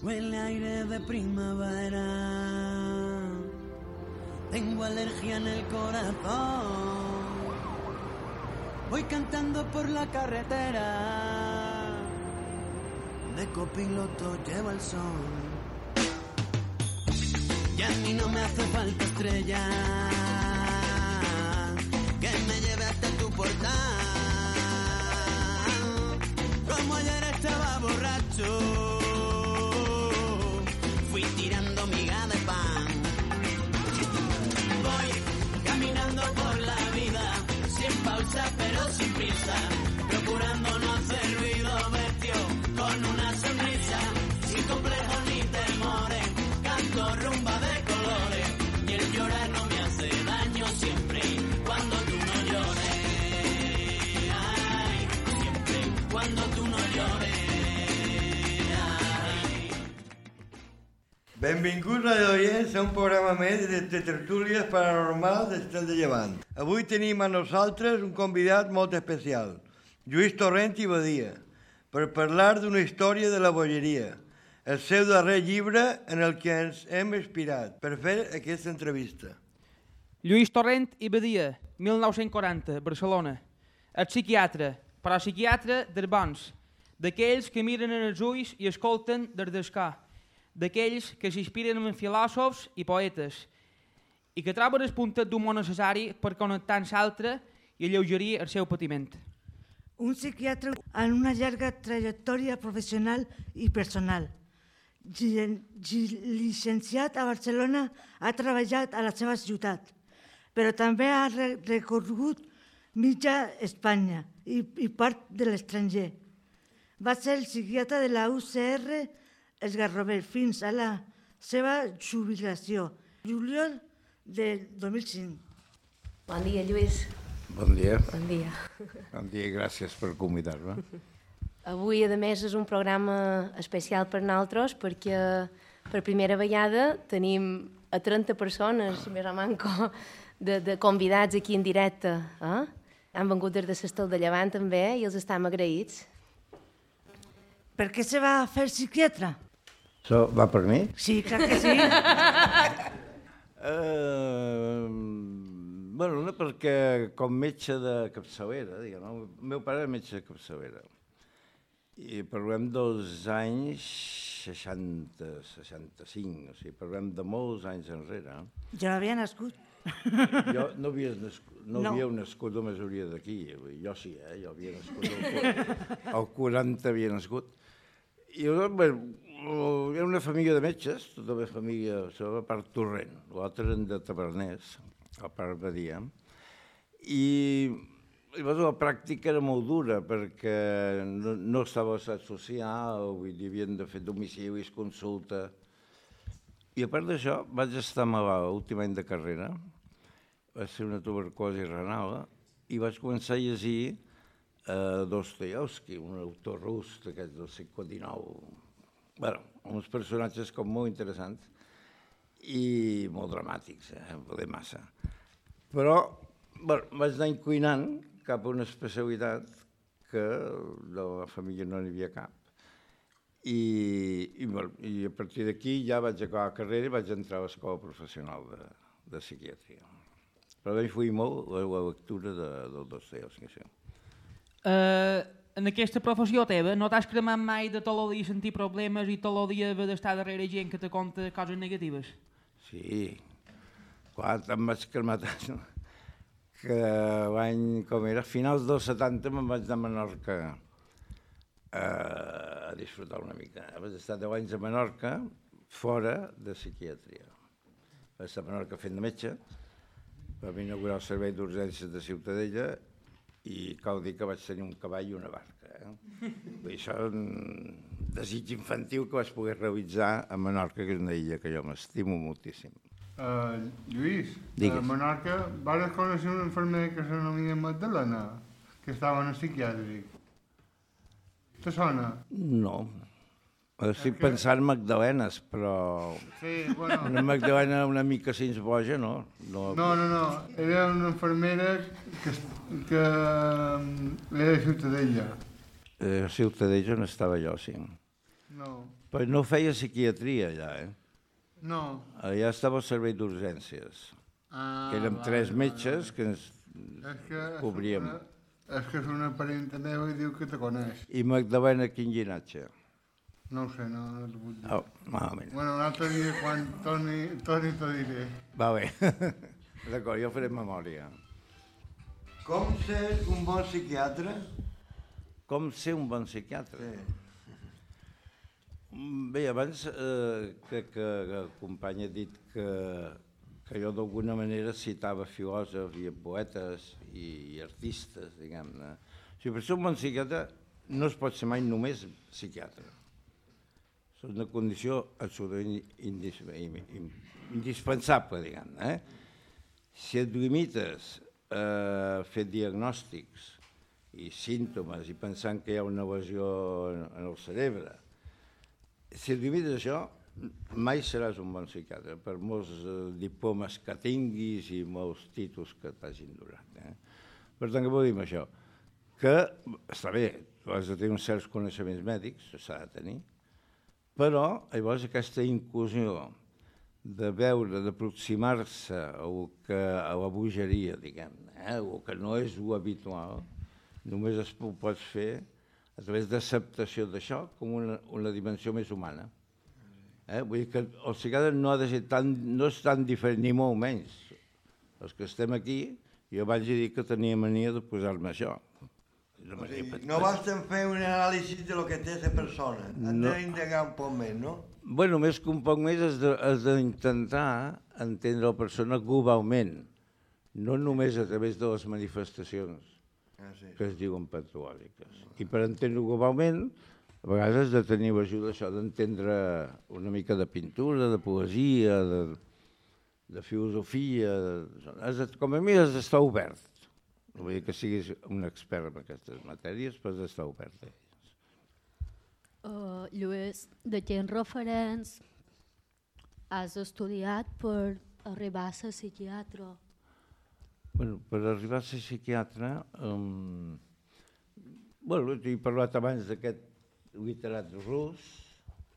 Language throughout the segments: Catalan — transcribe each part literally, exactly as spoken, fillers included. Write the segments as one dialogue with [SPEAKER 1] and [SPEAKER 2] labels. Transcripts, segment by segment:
[SPEAKER 1] Huele aire de primavera. Tengo alergia en el corazón. Voy cantando por la carretera. De copiloto lleva el sol. Y a mí no me hace falta estrella que me lleve hasta tu portal. Como ayer estaba borracho, fui tirando miga de pan. Voy caminando por la vida, sin pausa pero sin prisa, procurando no hacer ruido, vestido con una sonrisa, sin complejos ni temores, canto rumba de colores, y el llorar no me hace daño siempre cuando tú no llores. Ay, siempre cuando tú no llores.
[SPEAKER 2] Benvinguts, radioients, a un programa més de, de tertúlies paranormals d'Estel de Llevant. Avui tenim a nosaltres un convidat molt especial, Lluís Torrent i Badia, per parlar d'una història de la bogeria, el seu darrer llibre en el que ens hem inspirat per fer aquesta entrevista.
[SPEAKER 3] Lluís Torrent i Badia, mil nou-cents quaranta, Barcelona. El psiquiatre, però psiquiatre dels bons, d'aquells que miren en els ulls i escolten des d'escà, d'aquells que s'inspiren en filòsofs i poetes i que troben el puntet d'humor necessari per connectar amb l'altre i alleugerir el seu patiment.
[SPEAKER 4] Un psiquiatre amb una llarga trajectòria professional i personal. Llicenciat a Barcelona, ha treballat a la seva ciutat, però també ha recorregut mitja Espanya i, i part de l'estranger. Va ser el psiquiatre de la U C R Els Garrovers fins a la seva jubilació, juliol del dos mil cinc.
[SPEAKER 5] Bon dia, Lluís.
[SPEAKER 6] Bon dia.
[SPEAKER 5] Bon dia.
[SPEAKER 6] Bon dia i gràcies per convidar-me.
[SPEAKER 5] Avui, a més, és un programa especial per nosaltres perquè per primera vegada tenim a trenta persones, més o manco, de, de convidats aquí en directe. Eh? Han vengut des de l'Estel de Llevant també i els estem agraïts.
[SPEAKER 4] Per què se va fer psiquiatre?
[SPEAKER 6] Això va per mi?
[SPEAKER 4] Sí, clar que sí.
[SPEAKER 6] Uh, bueno, no, perquè com metge de capçalera, diguem, el meu pare era metge de capçalera. I parlem dels anys seixanta, seixanta-cinc, o sigui, parlem de molts anys enrere.
[SPEAKER 4] Jo no havia nascut.
[SPEAKER 6] Jo no havia nascut, no, no. havíeu nascut la majoria d'aquí, jo sí, eh? Jo havia nascut, el, el quaranta havia nascut. I bueno, era una família de metges, tota la família, la part Torrent, l'altre eren de Taverners, la part Badia, i llavors la pràctica era molt dura perquè no, no estava a l'estat social, vull dir, havien de fer domicilis, consulta. I a part d'això vaig estar malalt l'últim any de carrera, va ser una tuberculosi renal, i vaig començar a llegir Uh, Dostoyevsky, un autor rus d'aquests del segle dinou. Bé, uns personatges com molt interessants i molt dramàtics, eh? Poder massa. Però bueno, vaig anar inclinant cap a una especialitat que de la família no n'hi havia cap. I, i, bueno, i a partir d'aquí ja vaig acabar la carrera i vaig entrar a l'escola professional de, de psiquiatria. Però m'influïa molt la, la lectura de, del Dostoyevsky. Sí.
[SPEAKER 3] Uh, en aquesta professió teva no t'has cremat mai de tot el dia sentir problemes i tot el dia haver d'estar darrere gent que te conta coses negatives?
[SPEAKER 6] Sí, clar, em vaig cremar tant que l'any, com era, a finals dels setanta me'n vaig anar a Menorca a disfrutar una mica. Vaig estar deu anys a Menorca fora de psiquiatria. Vaig estar a Menorca fent de metge, vam inaugurar el servei d'urgències de Ciutadella i cal dir que vaig tenir un cavall i una barca. Eh? Vull dir, això és un desig infantil que vaig poder realitzar a Menorca, que és una illa que jo m'estimo moltíssim.
[SPEAKER 7] Uh, Lluís,
[SPEAKER 6] Digues.
[SPEAKER 7] A Menorca vas conèixer una infermera que s'anomia Magdalena, que estava en el psiquiàtric. Te sona?
[SPEAKER 6] No. Estic que... pensant Magdalenes, però
[SPEAKER 7] sí, bueno...
[SPEAKER 6] una Magdalena una mica sins boja, no?
[SPEAKER 7] No, no, no. no. Era una infermera que, que era de Ciutadella.
[SPEAKER 6] A Ciutadella on estava jo, sí.
[SPEAKER 7] No.
[SPEAKER 6] Però no feia psiquiatria allà, eh?
[SPEAKER 7] No.
[SPEAKER 6] Allà estava al servei d'urgències,
[SPEAKER 7] Ah,
[SPEAKER 6] que érem
[SPEAKER 7] vale,
[SPEAKER 6] tres
[SPEAKER 7] vale,
[SPEAKER 6] metges que ens
[SPEAKER 7] És que és
[SPEAKER 6] cobríem.
[SPEAKER 7] una, és que és una parienta meva i diu que te coneix.
[SPEAKER 6] I Magdalena, quin llinatge?
[SPEAKER 7] No ho sé, no, no t'ho puc dir.
[SPEAKER 6] Oh, malament.
[SPEAKER 7] Bueno, un altre dia quan torni, torni t'ho diré.
[SPEAKER 6] Va bé. D'acord, jo faré memòria.
[SPEAKER 2] Com ser un bon psiquiatre?
[SPEAKER 6] Com ser un bon psiquiatre?
[SPEAKER 2] Sí.
[SPEAKER 6] Bé, abans eh, crec que, que el company ha dit que, que jo d'alguna manera citava filòsofs i poetes i, i artistes, diguem-ne. O sigui, per ser un bon psiquiatre no es pot ser mai només psiquiatre. És una condició absolutament indis, indispensable, diguem-ne. Eh? Si et limites a fer diagnòstics i símptomes i pensant que hi ha una lesió en el cerebre, si et limites a això, mai seràs un bon psiquiatre, per molts eh, diplomes que tinguis i molts títols que t'hagin donat. Eh? Per tant, què vol dir amb això? Que està bé, tu has de tenir uns certs coneixements mèdics, s'ha de tenir, però llavors aquesta inclusió de veure, d'aproximar-se a, que, a la bogeria, diguem-ne, eh? El que no és lo habitual, només es ho pots fer a través d'acceptació d'això com una, una dimensió més humana. Eh? Vull dir que el psiquiatre no ha de ser tan, no és tan diferent, ni molt menys. Els que estem aquí, jo vaig dir que tenia mania de posar-me això.
[SPEAKER 2] O sigui, no basta fer un anàlisi de lo que té aquesta persona, has
[SPEAKER 6] No.
[SPEAKER 2] d'indagar un poc més, no?
[SPEAKER 6] Bueno, més que un poc més has de- has d'intentar entendre la persona globalment, no només a través de les manifestacions
[SPEAKER 2] Ah, sí.
[SPEAKER 6] que es diuen patològiques. I per entendre-ho globalment, a vegades has de tenir l'ajuda això d'entendre una mica de pintura, de poesia, de, de filosofia, de, has de, com a mi has d'estar obert. No vull dir que siguis un expert en aquestes matèries, però has d'estar obert a elles.
[SPEAKER 8] Uh, Lluís, de quins referents has estudiat per arribar a ser psiquiatre?
[SPEAKER 6] Bueno, per arribar a ser psiquiatre, um, bueno, t'he parlat abans d'aquest literat rus,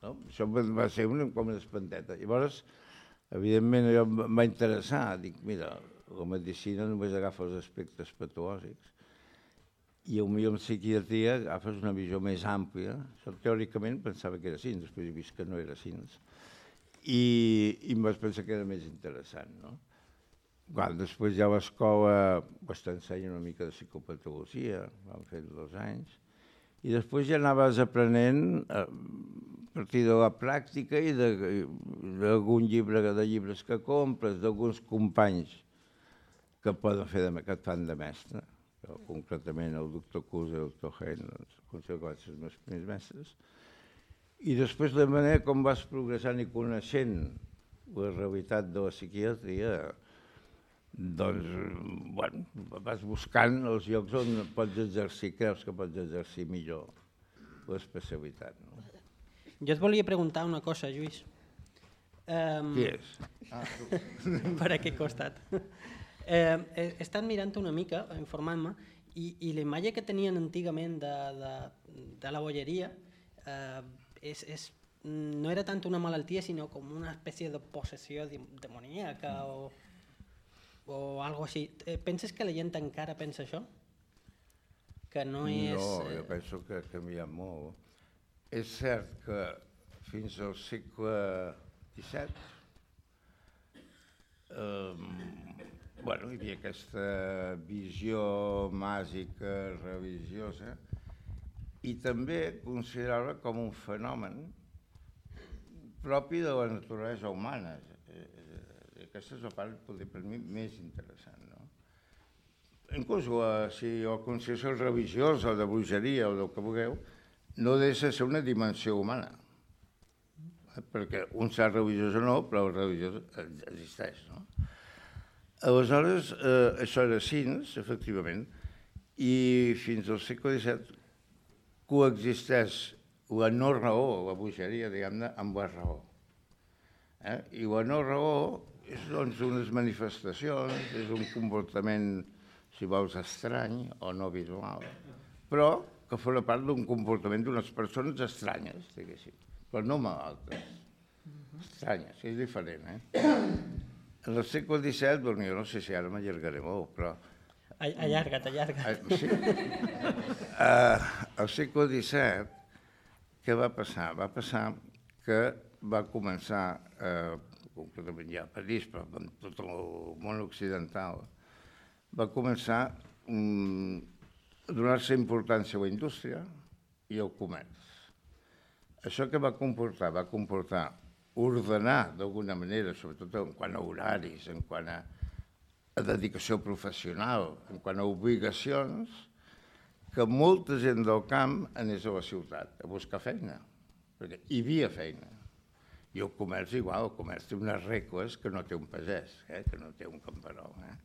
[SPEAKER 6] no? Això va va ser una, com una espanteta. Llavors, evidentment, allò em va interessar. Dic, mira, la medicina només agafa els aspectes patològics i potser en psiquiatria agafes una visió més àmplia. Això teòricament pensava que era així, després he vist que no era així. I, i em vaig pensar que era més interessant, no? Clar, després ja a l'escola pues, t'ensenyen una mica de psicopatologia, vam fer dos anys, i després ja anaves aprenent a partir de la pràctica i d'algun llibre, de llibres que compres, d'alguns companys que poden fer de, que et fan de mestre. Jo, concretament el doctor Cus i el doctor Hein, doncs, considero que van ser els meus primers mestres. I després la manera com vas progressant i coneixent la realitat de la psiquiatria, doncs, bueno, vas buscant els llocs on pots exercir, creus que pots exercir millor l'especialitat. No?
[SPEAKER 9] Jo et volia preguntar una cosa, Lluís. Um,
[SPEAKER 6] Qui és?
[SPEAKER 2] Ah, tu.
[SPEAKER 9] per aquest costat. Eh, he estat mirant una mica, informant-me, i, i la imatge que tenien antigament de, de, de la bolleria eh, és, és, no era tant una malaltia, sinó com una espècie de possessió demoníaca o, o algo així. Eh, penses que la gent encara pensa això? Que no és...
[SPEAKER 6] No, jo penso que ha canviat molt. És cert que fins al segle disset eh, bueno, hi havia aquesta visió màgica, religiosa, i també considerar-la com un fenomen propi de la naturalesa humana. Aquesta és la part, per mi, més interessant. No? Inclús la, si la consideració religiosa, de bruixeria o del que vulgueu, no deixa de ser una dimensió humana. Perquè un serà religiós o no, però el religiós existeix. No? Aleshores, eh, això era cins, efectivament, i fins al segle disset coexisteix la no raó, la bogeria, diguem-ne, amb la raó. Eh? I la no raó és doncs, unes manifestacions, és un comportament, si vols, estrany o no visual, però que fos part d'un comportament d'unes persones estranyes, diguéssim, però no malaltes. Estranyes, és diferent, eh? En el segle disset, bueno, jo no sé si ara m'allargaré molt, però...
[SPEAKER 9] Allarga't, allarga't.
[SPEAKER 6] Sí. Al segle disset, què va passar? Va passar que va començar, concretament ja a París, però en tot el món occidental, va començar a donar-se importància a la indústria i al comerç. Això que va comportar? Va comportar ordenar d'alguna manera, sobretot en quant a horaris, en quant a, a dedicació professional, en quant a obligacions, que molta gent del camp anés a la ciutat a buscar feina, perquè hi havia feina. I el comerç igual, el comerç té unes regles que no té un pagès, eh? Que no té un camperol. Eh?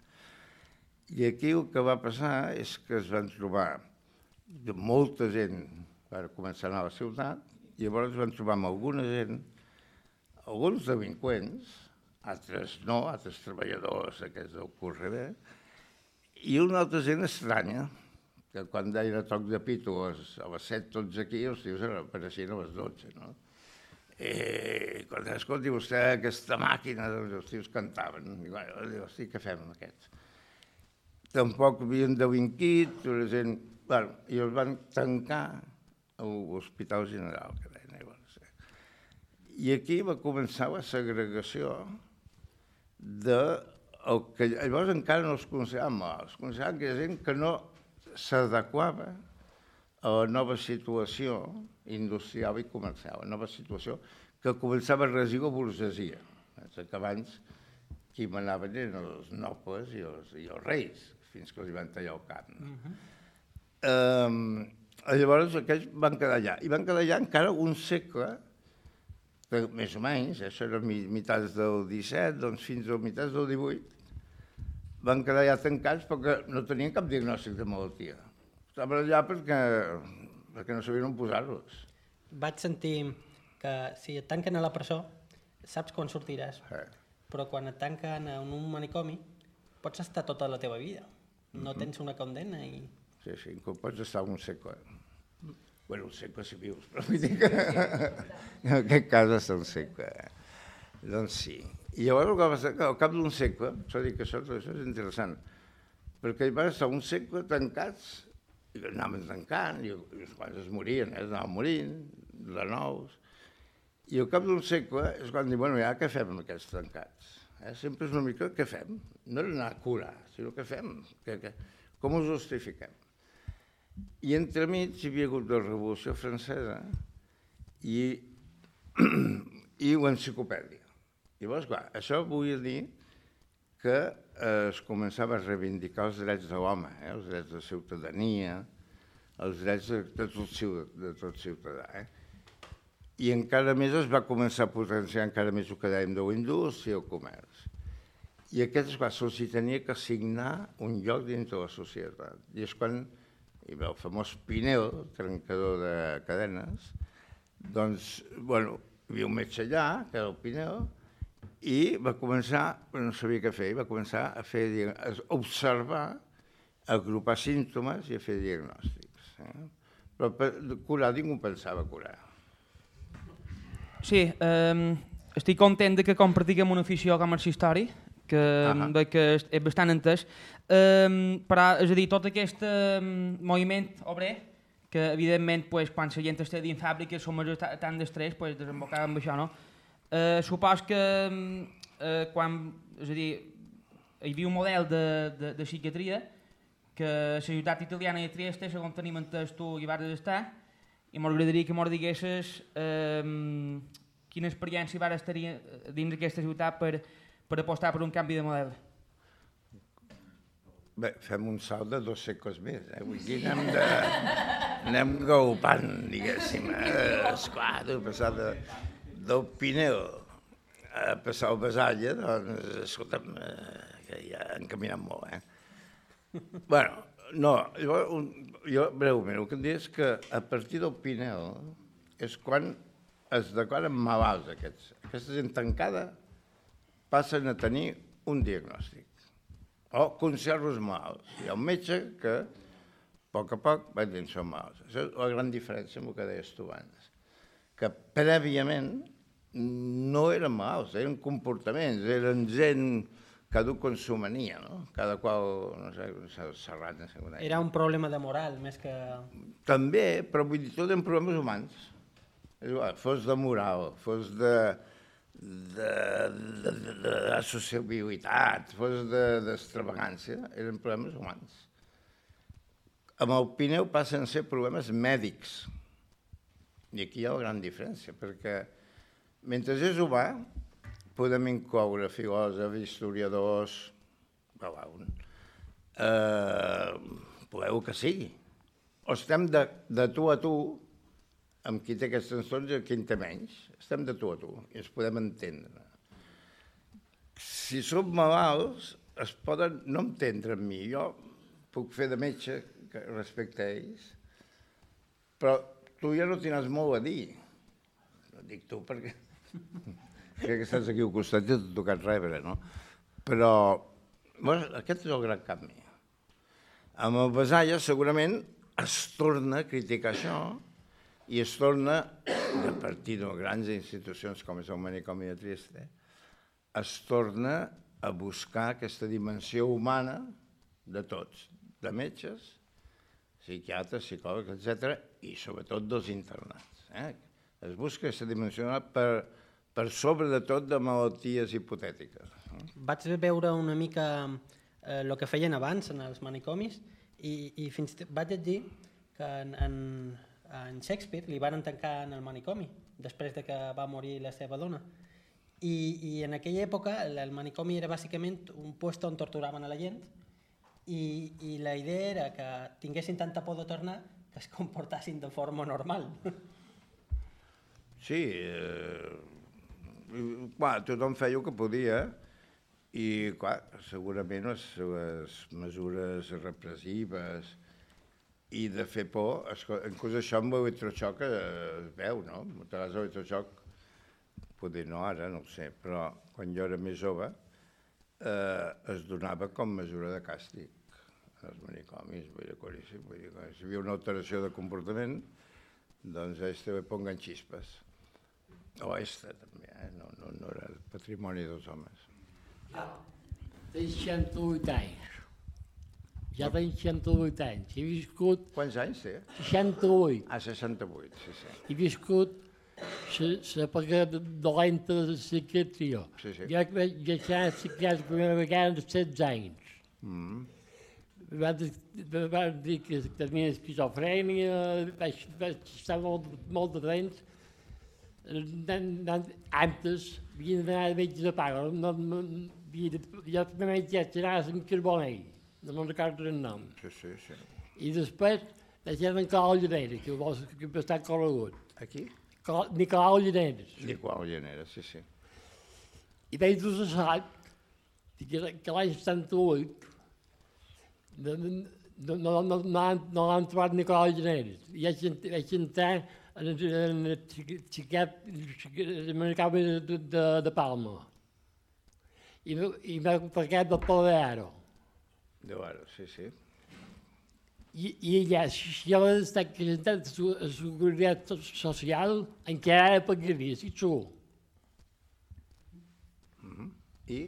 [SPEAKER 6] I aquí el que va passar és que es van trobar de molta gent, va començar a anar a la ciutat, i llavors es van trobar amb alguna gent, alguns delinqüents, altres no, altres treballadors aquests del curs rebé, i una altra gent estranya, que quan deien a toc de pito a les set tots aquí, els tios apareixien a les dotze, no? I quan escolti vostè aquesta màquina, doncs els tios cantaven. I diu, hosti, què fem amb aquests? Tampoc havien delinquit, la gent... Bueno, i els van tancar a l'Hospital General, que deien. I aquí va començar la segregació de el que llavors encara no es consideraven malalts, es consideraven que hi ha gent que no s'adequava a la nova situació industrial i comercial, la nova situació que començava a regir la burgesia. Que abans qui manaven eren els nobles i els, i els reis, fins que els van tallar el cap. No? Uh-huh. eh, llavors aquells van quedar allà, i van quedar allà encara un segle, més o menys, això era mitats del disset, doncs fins a mitats del divuit, van quedar ja tancats perquè no tenien cap diagnòstic de malaltia. Estaven allà perquè, perquè no sabien on posar-los.
[SPEAKER 9] Vaig sentir que si et tanquen a la presó, saps quan sortiràs, eh. però quan et tanquen en un manicomi, pots estar tota la teva vida. No mm-hmm. tens una condemna i...
[SPEAKER 6] Sí, sí, com pots estar un segle. Bueno, un segle si vius, però vull dir que en aquest cas està un segle. Doncs sí. I llavors el que va passar, al cap d'un segle, s'ha dit que això, això és interessant, perquè van estar un segle tancats, i anaven tancant, i els quals es morien, eh? Anaven morint, de nous, i al cap d'un segle és quan diuen, bueno, ja què fem amb aquests tancats? Eh? Sempre és una mica què fem? No era anar a curar, sinó què fem? Que, que, com ho justifiquem? I entremig hi havia hagut la Revolució Francesa i, i l'enciclopèdia. Llavors, clar, això volia dir que eh, es començava a reivindicar els drets de l'home, eh, els drets de ciutadania, els drets de, de, tot, de tot ciutadà. Eh? I encara més es va començar a potenciar encara més el que dèiem de la indústria i el comerç. I aquests, clar, se'ls tenia que assignar un lloc dins de la societat. I és quan hi va el famós Pinel, trencador de cadenes, doncs, bueno, hi havia un metge allà, que era el Pinel, i va començar, no sabia què fer, va començar a fer, a observar, a agrupar símptomes i a fer diagnòstics. Eh? Però per curar ningú pensava curar.
[SPEAKER 3] Sí, eh, estic content de que compartiguem una afició com el històric, que uh-huh. veig que és bastant entès. Um, però, és a dir, tot aquest um, moviment obrer, que evidentment pues, quan la gent està dins fàbriques som tant d'estrès, pues, desembocava amb això, no? Uh, supos que uh, quan, és a dir, hi havia un model de, de, de psiquiatria que la ciutat italiana de Trieste, segons tenim entès tu hi vas estar, i m'agradaria que m'ho diguessis um, quina experiència vas tenir dins d'aquesta ciutat per, per apostar per un canvi de model.
[SPEAKER 6] Bé, fem un salt de dos segles més, eh? Vull dir, anem, de, anem galopant, diguéssim. Eh? Esclar, de passar de, del Pinel a passar al Basalla, doncs, escolta'm, eh, que ja han caminat molt, eh? Bueno, no, jo, jo breument, el que em dic és que a partir del Pinel és quan es declaren malalts aquests. Aquesta gent tancada passen a tenir un diagnòstic. O conserves malalts. Hi ha un metge que A poc a poc vaig dir, són malalts. Això és la gran diferència amb el que deies tu abans. Que prèviament no eren malalts, eren comportaments, eren gent, cadascú com s'ho mania, no? Cada qual, no sé, serrat, no sé com deia.
[SPEAKER 9] Era un problema de moral, més que...
[SPEAKER 6] També, però vull dir, tot eren problemes humans. És igual, fos de moral, fos de... de, de, de, de sociabilitat, fos d'extravagància, de, eren problemes humans. Amb el Pineu passen a ser problemes mèdics. I aquí hi ha una gran diferència, perquè mentre és humà, podem incloure filòsofs, historiadors, eh, podeu que sigui. O estem de, de tu a tu, amb qui té aquests trastorns i qui en té menys. Estem de tu a tu i ens podem entendre. Si som malalts, es poden no entendre amb mi. Jo puc fer de metge respecte a ells, però tu ja no tindràs molt a dir. No dic tu perquè crec que estàs aquí al costat i t'ha tocat rebre, no? Però bueno, aquest és el gran canvi. Amb el Besaya segurament es torna a criticar això i es torna, a partir de grans institucions com és el manicomi de Trieste, es torna a buscar aquesta dimensió humana de tots, de metges, psiquiatres, psicòlegs, etcètera, i sobretot dels internats. Eh? Es busca aquesta dimensió per, per sobre de tot de malalties hipotètiques. Eh?
[SPEAKER 9] Vaig veure una mica eh, el que feien abans en els manicomis i, i fins vaig llegir que en, en, en Shakespeare li van tancar en el manicomi després de que va morir la seva dona. I, i en aquella època el, el manicomi era bàsicament un lloc on torturaven a la gent i, i la idea era que tinguessin tanta por de tornar que es comportassin de forma normal.
[SPEAKER 6] Sí, eh, clar, tothom feia el que podia i, clar, segurament les, les mesures repressives i de fer por, inclús això amb l'electroxoc es veu, no? Moltes l'electroxoc, potser no ara, no ho sé, però quan jo era més jove eh, es donava com mesura de càstig als manicomis, vull dir, claríssim, vull dir, si hi havia una alteració de comportament, doncs a este le pongan xispes. O a esta també, eh? no, no, no era el patrimoni dels homes.
[SPEAKER 10] Ja, tens seixanta-vuit anys. Ja tens seixanta-vuit anys. He viscut...
[SPEAKER 6] Quants anys té?
[SPEAKER 10] seixanta-vuit.
[SPEAKER 6] Ah, seixanta-vuit, sí, sí.
[SPEAKER 10] He viscut l'època dolenta de la psiquiatria.
[SPEAKER 6] Sí, sí.
[SPEAKER 10] Jo vaig deixar la psiquiatria la primera vegada de setze anys.
[SPEAKER 6] Mm.
[SPEAKER 10] Van dir que tenia esquizofrènia, vaig, vaig estar molt, molt de temps. Antes havia d'anar a metge de paga, no, no, jo primer vaig anar amb Carbonell, no me'n recordo el nom.
[SPEAKER 6] Sí, sí, sí.
[SPEAKER 10] I després vaig anar a Nicolau Llaneres, que va ser bastant corregut.
[SPEAKER 6] Aquí?
[SPEAKER 10] Nicolau Llaneres.
[SPEAKER 6] Nicolau Llaneres, sí, sí.
[SPEAKER 10] I vaig dur l'assalt, que, que l'any setanta-vuit no, no, no, no, no, no l'han trobat Nicolau Llaneres. I vaig, vaig entrar en el psiquiatre americà de, de, de Palma. I, i m'ha parlat del Pol de Aro.
[SPEAKER 6] De Aro, sí, sí.
[SPEAKER 10] I, i allà, si jo vaig estar presentant a la Seguretat Social, encara pagaria, si tu.
[SPEAKER 6] Mm-hmm. I?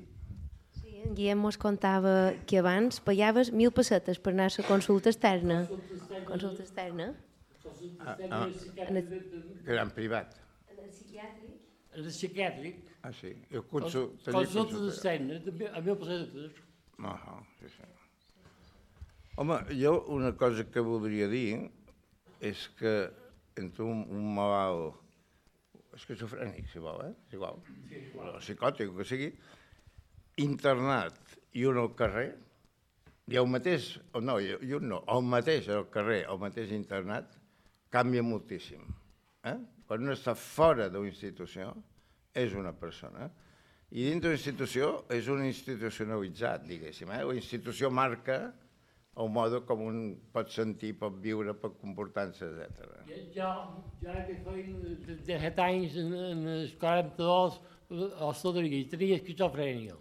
[SPEAKER 5] Sí, en Guillem mos contava que abans pagaves mil pessetes per anar a la consulta externa. Consulta externa.
[SPEAKER 6] Ah, ah, que era en privat.
[SPEAKER 5] En el psiquiàtric.
[SPEAKER 10] En el psiquiàtric.
[SPEAKER 6] Ah, sí. El consult...
[SPEAKER 10] Consultes externes, a mil pessetes.
[SPEAKER 6] Ah, sí, sí. Home, jo una cosa que voldria dir és que entre un, un malalt esquizofrènic, si vol, eh? És igual, o psicòtic, o que sigui, internat i un al carrer, i el mateix, o no, i un no, el mateix al carrer, el mateix internat, canvia moltíssim. Eh? Quan un està fora d'una institució, és una persona, i dintre d'una institució és un institucionalitzat, diguéssim. Eh? La institució marca el mode com un pot sentir, pot viure, pot comportar-se, etcètera.
[SPEAKER 10] Jo, jo que feia disset anys, en, en els quaranta-dos, a Soderia, tenia esquizofrènia.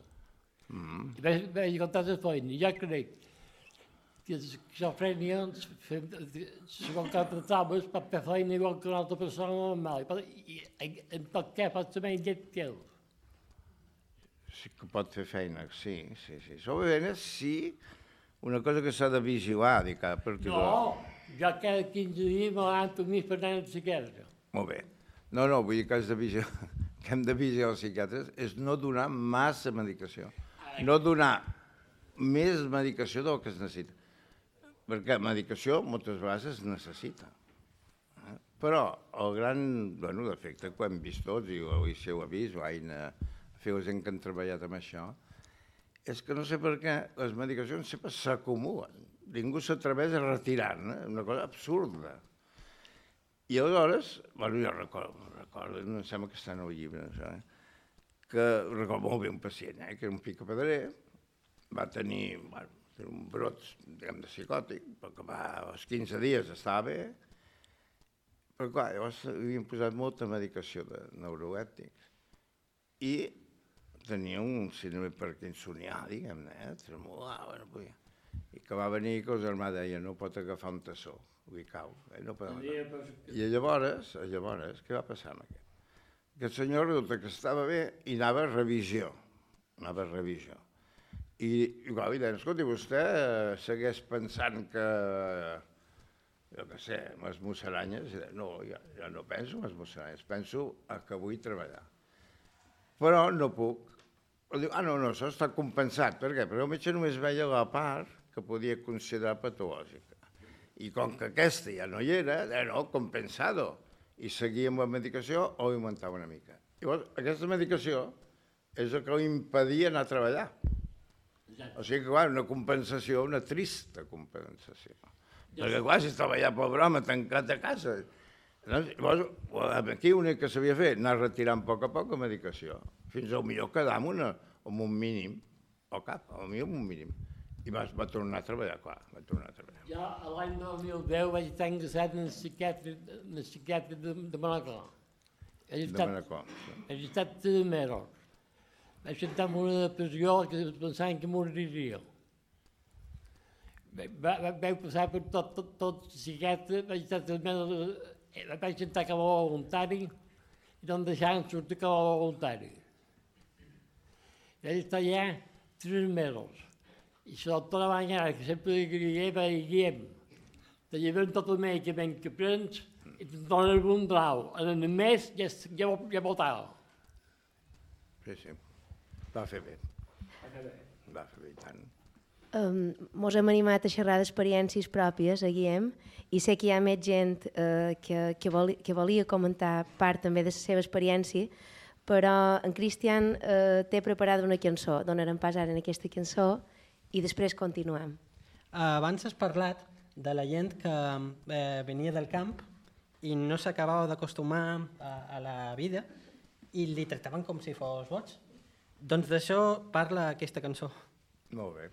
[SPEAKER 6] Mm.
[SPEAKER 10] I vaig, vaig contar la feina. Jo crec que l'esquizofrènia, segons que tractaves, pot fer feina igual que una altra persona normal. I en tot cas pot ser menys que ell.
[SPEAKER 6] Sí que pot fer feina, sí, sí, sí. Sobretot sí, una cosa que s'ha de vigilar, dic, perquè...
[SPEAKER 10] No, jo cada quinze dies me levanto més per anar al psiquiatre.
[SPEAKER 6] Molt bé. No, no, vull dir que, has de vigilar, que hem de vigilar els psiquiatres és no donar massa medicació. No donar més medicació del que es necessita. Perquè medicació moltes vegades es necessita. Però el gran bueno, defecte que hem vist tots, i avui si ho ha vist, o Aina, feu gent que han treballat amb això, és que no sé per què les medicacions sempre s'acumulen. Ningú s'atreveix a retirar-ne, una cosa absurda. I aleshores, bueno, jo recordo, recordo, em sembla que està en el llibre, això, eh? que recordo molt bé un pacient, eh? que era un picapedrer, va tenir, bueno, un brot, diguem, de psicòtic, perquè va, als quinze dies estava bé, però clar, llavors havien posat molta medicació de neurolèptics i tenia un síndrome parkinsonià, diguem-ne, eh? tremolava, no podia. I que va venir que el germà deia no pot agafar un tassó, li cau. Eh? No pot agafar. I llavors, llavors, què va passar amb aquest? Aquest senyor resulta que estava bé i anava a revisió, anava a revisió. I, i clar, li deien, escolti, vostè segueix pensant que, jo què sé, les musaranyes? No, jo, jo no penso en les musaranyes, penso que vull treballar. Però no puc. Diu, ah, no, no, això està compensat. Per què? Perquè el metge només veia la part que podia considerar patològica. I com que aquesta ja no hi era, deia, no, compensado. I seguia amb la medicació o augmentava una mica. Llavors, aquesta medicació és el que li impedia anar a treballar. O sigui que, clar, una compensació, una trista compensació. Perquè, clar, si estava allà, pobre home, tancat a casa. Llavors, aquí l'únic que s'havia fet, anar retirant a poc a poc la medicació, fins al millor quedar amb, una, amb un mínim, o cap, al millor amb un mínim. I va, va tornar a treballar, clar, va tornar a treballar.
[SPEAKER 10] Jo l'any dos mil deu vaig estar ingressat en el psiquiatre, en el psiquiatre de, de Manacor.
[SPEAKER 6] De Manacor, sí.
[SPEAKER 10] He estat tres mesos. Vaig entrar en una depressió que pensaven que moriria. Vaig passar per tot, tot, tot el psiquiatre, vaig estar tres mesos, vaig entrar com a voluntari i no em deixaven sortir com a voluntari. Vaig estar allà tres mesos. I la doctora Banyara, que sempre li diria, va dir, Guillem, te lleven tot el medicament que prens i te'n donen un blau. En el mes ja, ja, ja votava.
[SPEAKER 6] Sí, sí. Va fer bé. Va fer bé, tant.
[SPEAKER 5] Um, mos hem animat a xerrar d'experiències pròpies, a Guillem, i sé que hi ha més gent uh, que, que, voli, que volia comentar part també de la seva experiència, però en Cristian uh, té preparada una cançó, donarem pas ara en aquesta cançó i després continuem.
[SPEAKER 9] Uh, abans has parlat de la gent que eh, venia del camp i no s'acabava d'acostumar a, a la vida i li tractaven com si fos boig. Doncs d'això parla aquesta cançó.
[SPEAKER 6] Molt bé.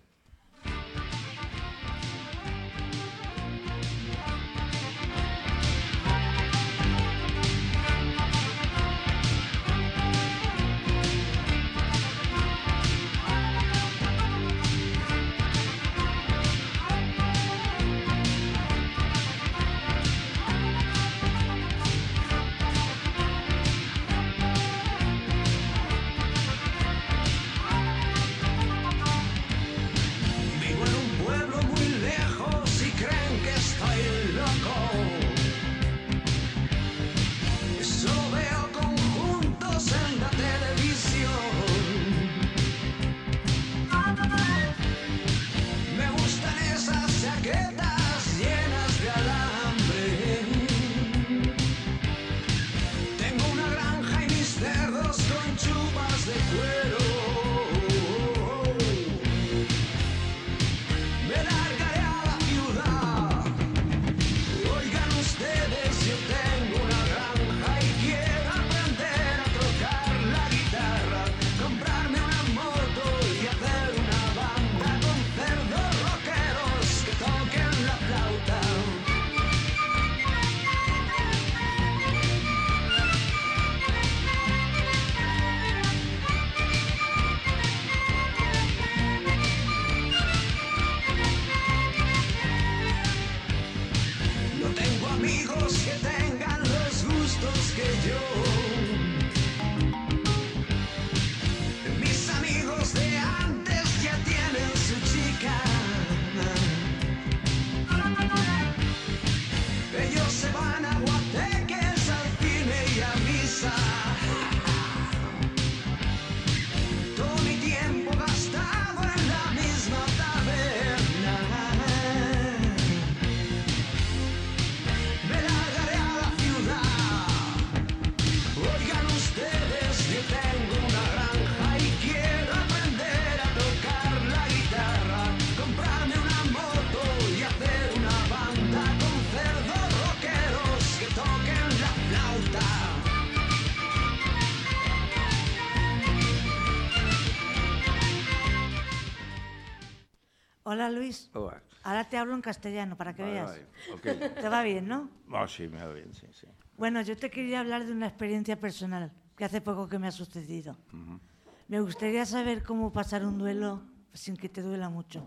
[SPEAKER 4] Hola, Luis.
[SPEAKER 6] Hola.
[SPEAKER 4] Ahora te hablo en castellano para que
[SPEAKER 6] Vale,
[SPEAKER 4] veas.
[SPEAKER 6] vale, ok.
[SPEAKER 4] ¿Te va bien, no?
[SPEAKER 6] Oh, sí, me va bien, sí, sí.
[SPEAKER 4] Bueno, yo te quería hablar de una experiencia personal que hace poco que me ha sucedido.
[SPEAKER 6] Ujú.
[SPEAKER 4] Me gustaría saber cómo pasar un duelo sin que te duela mucho.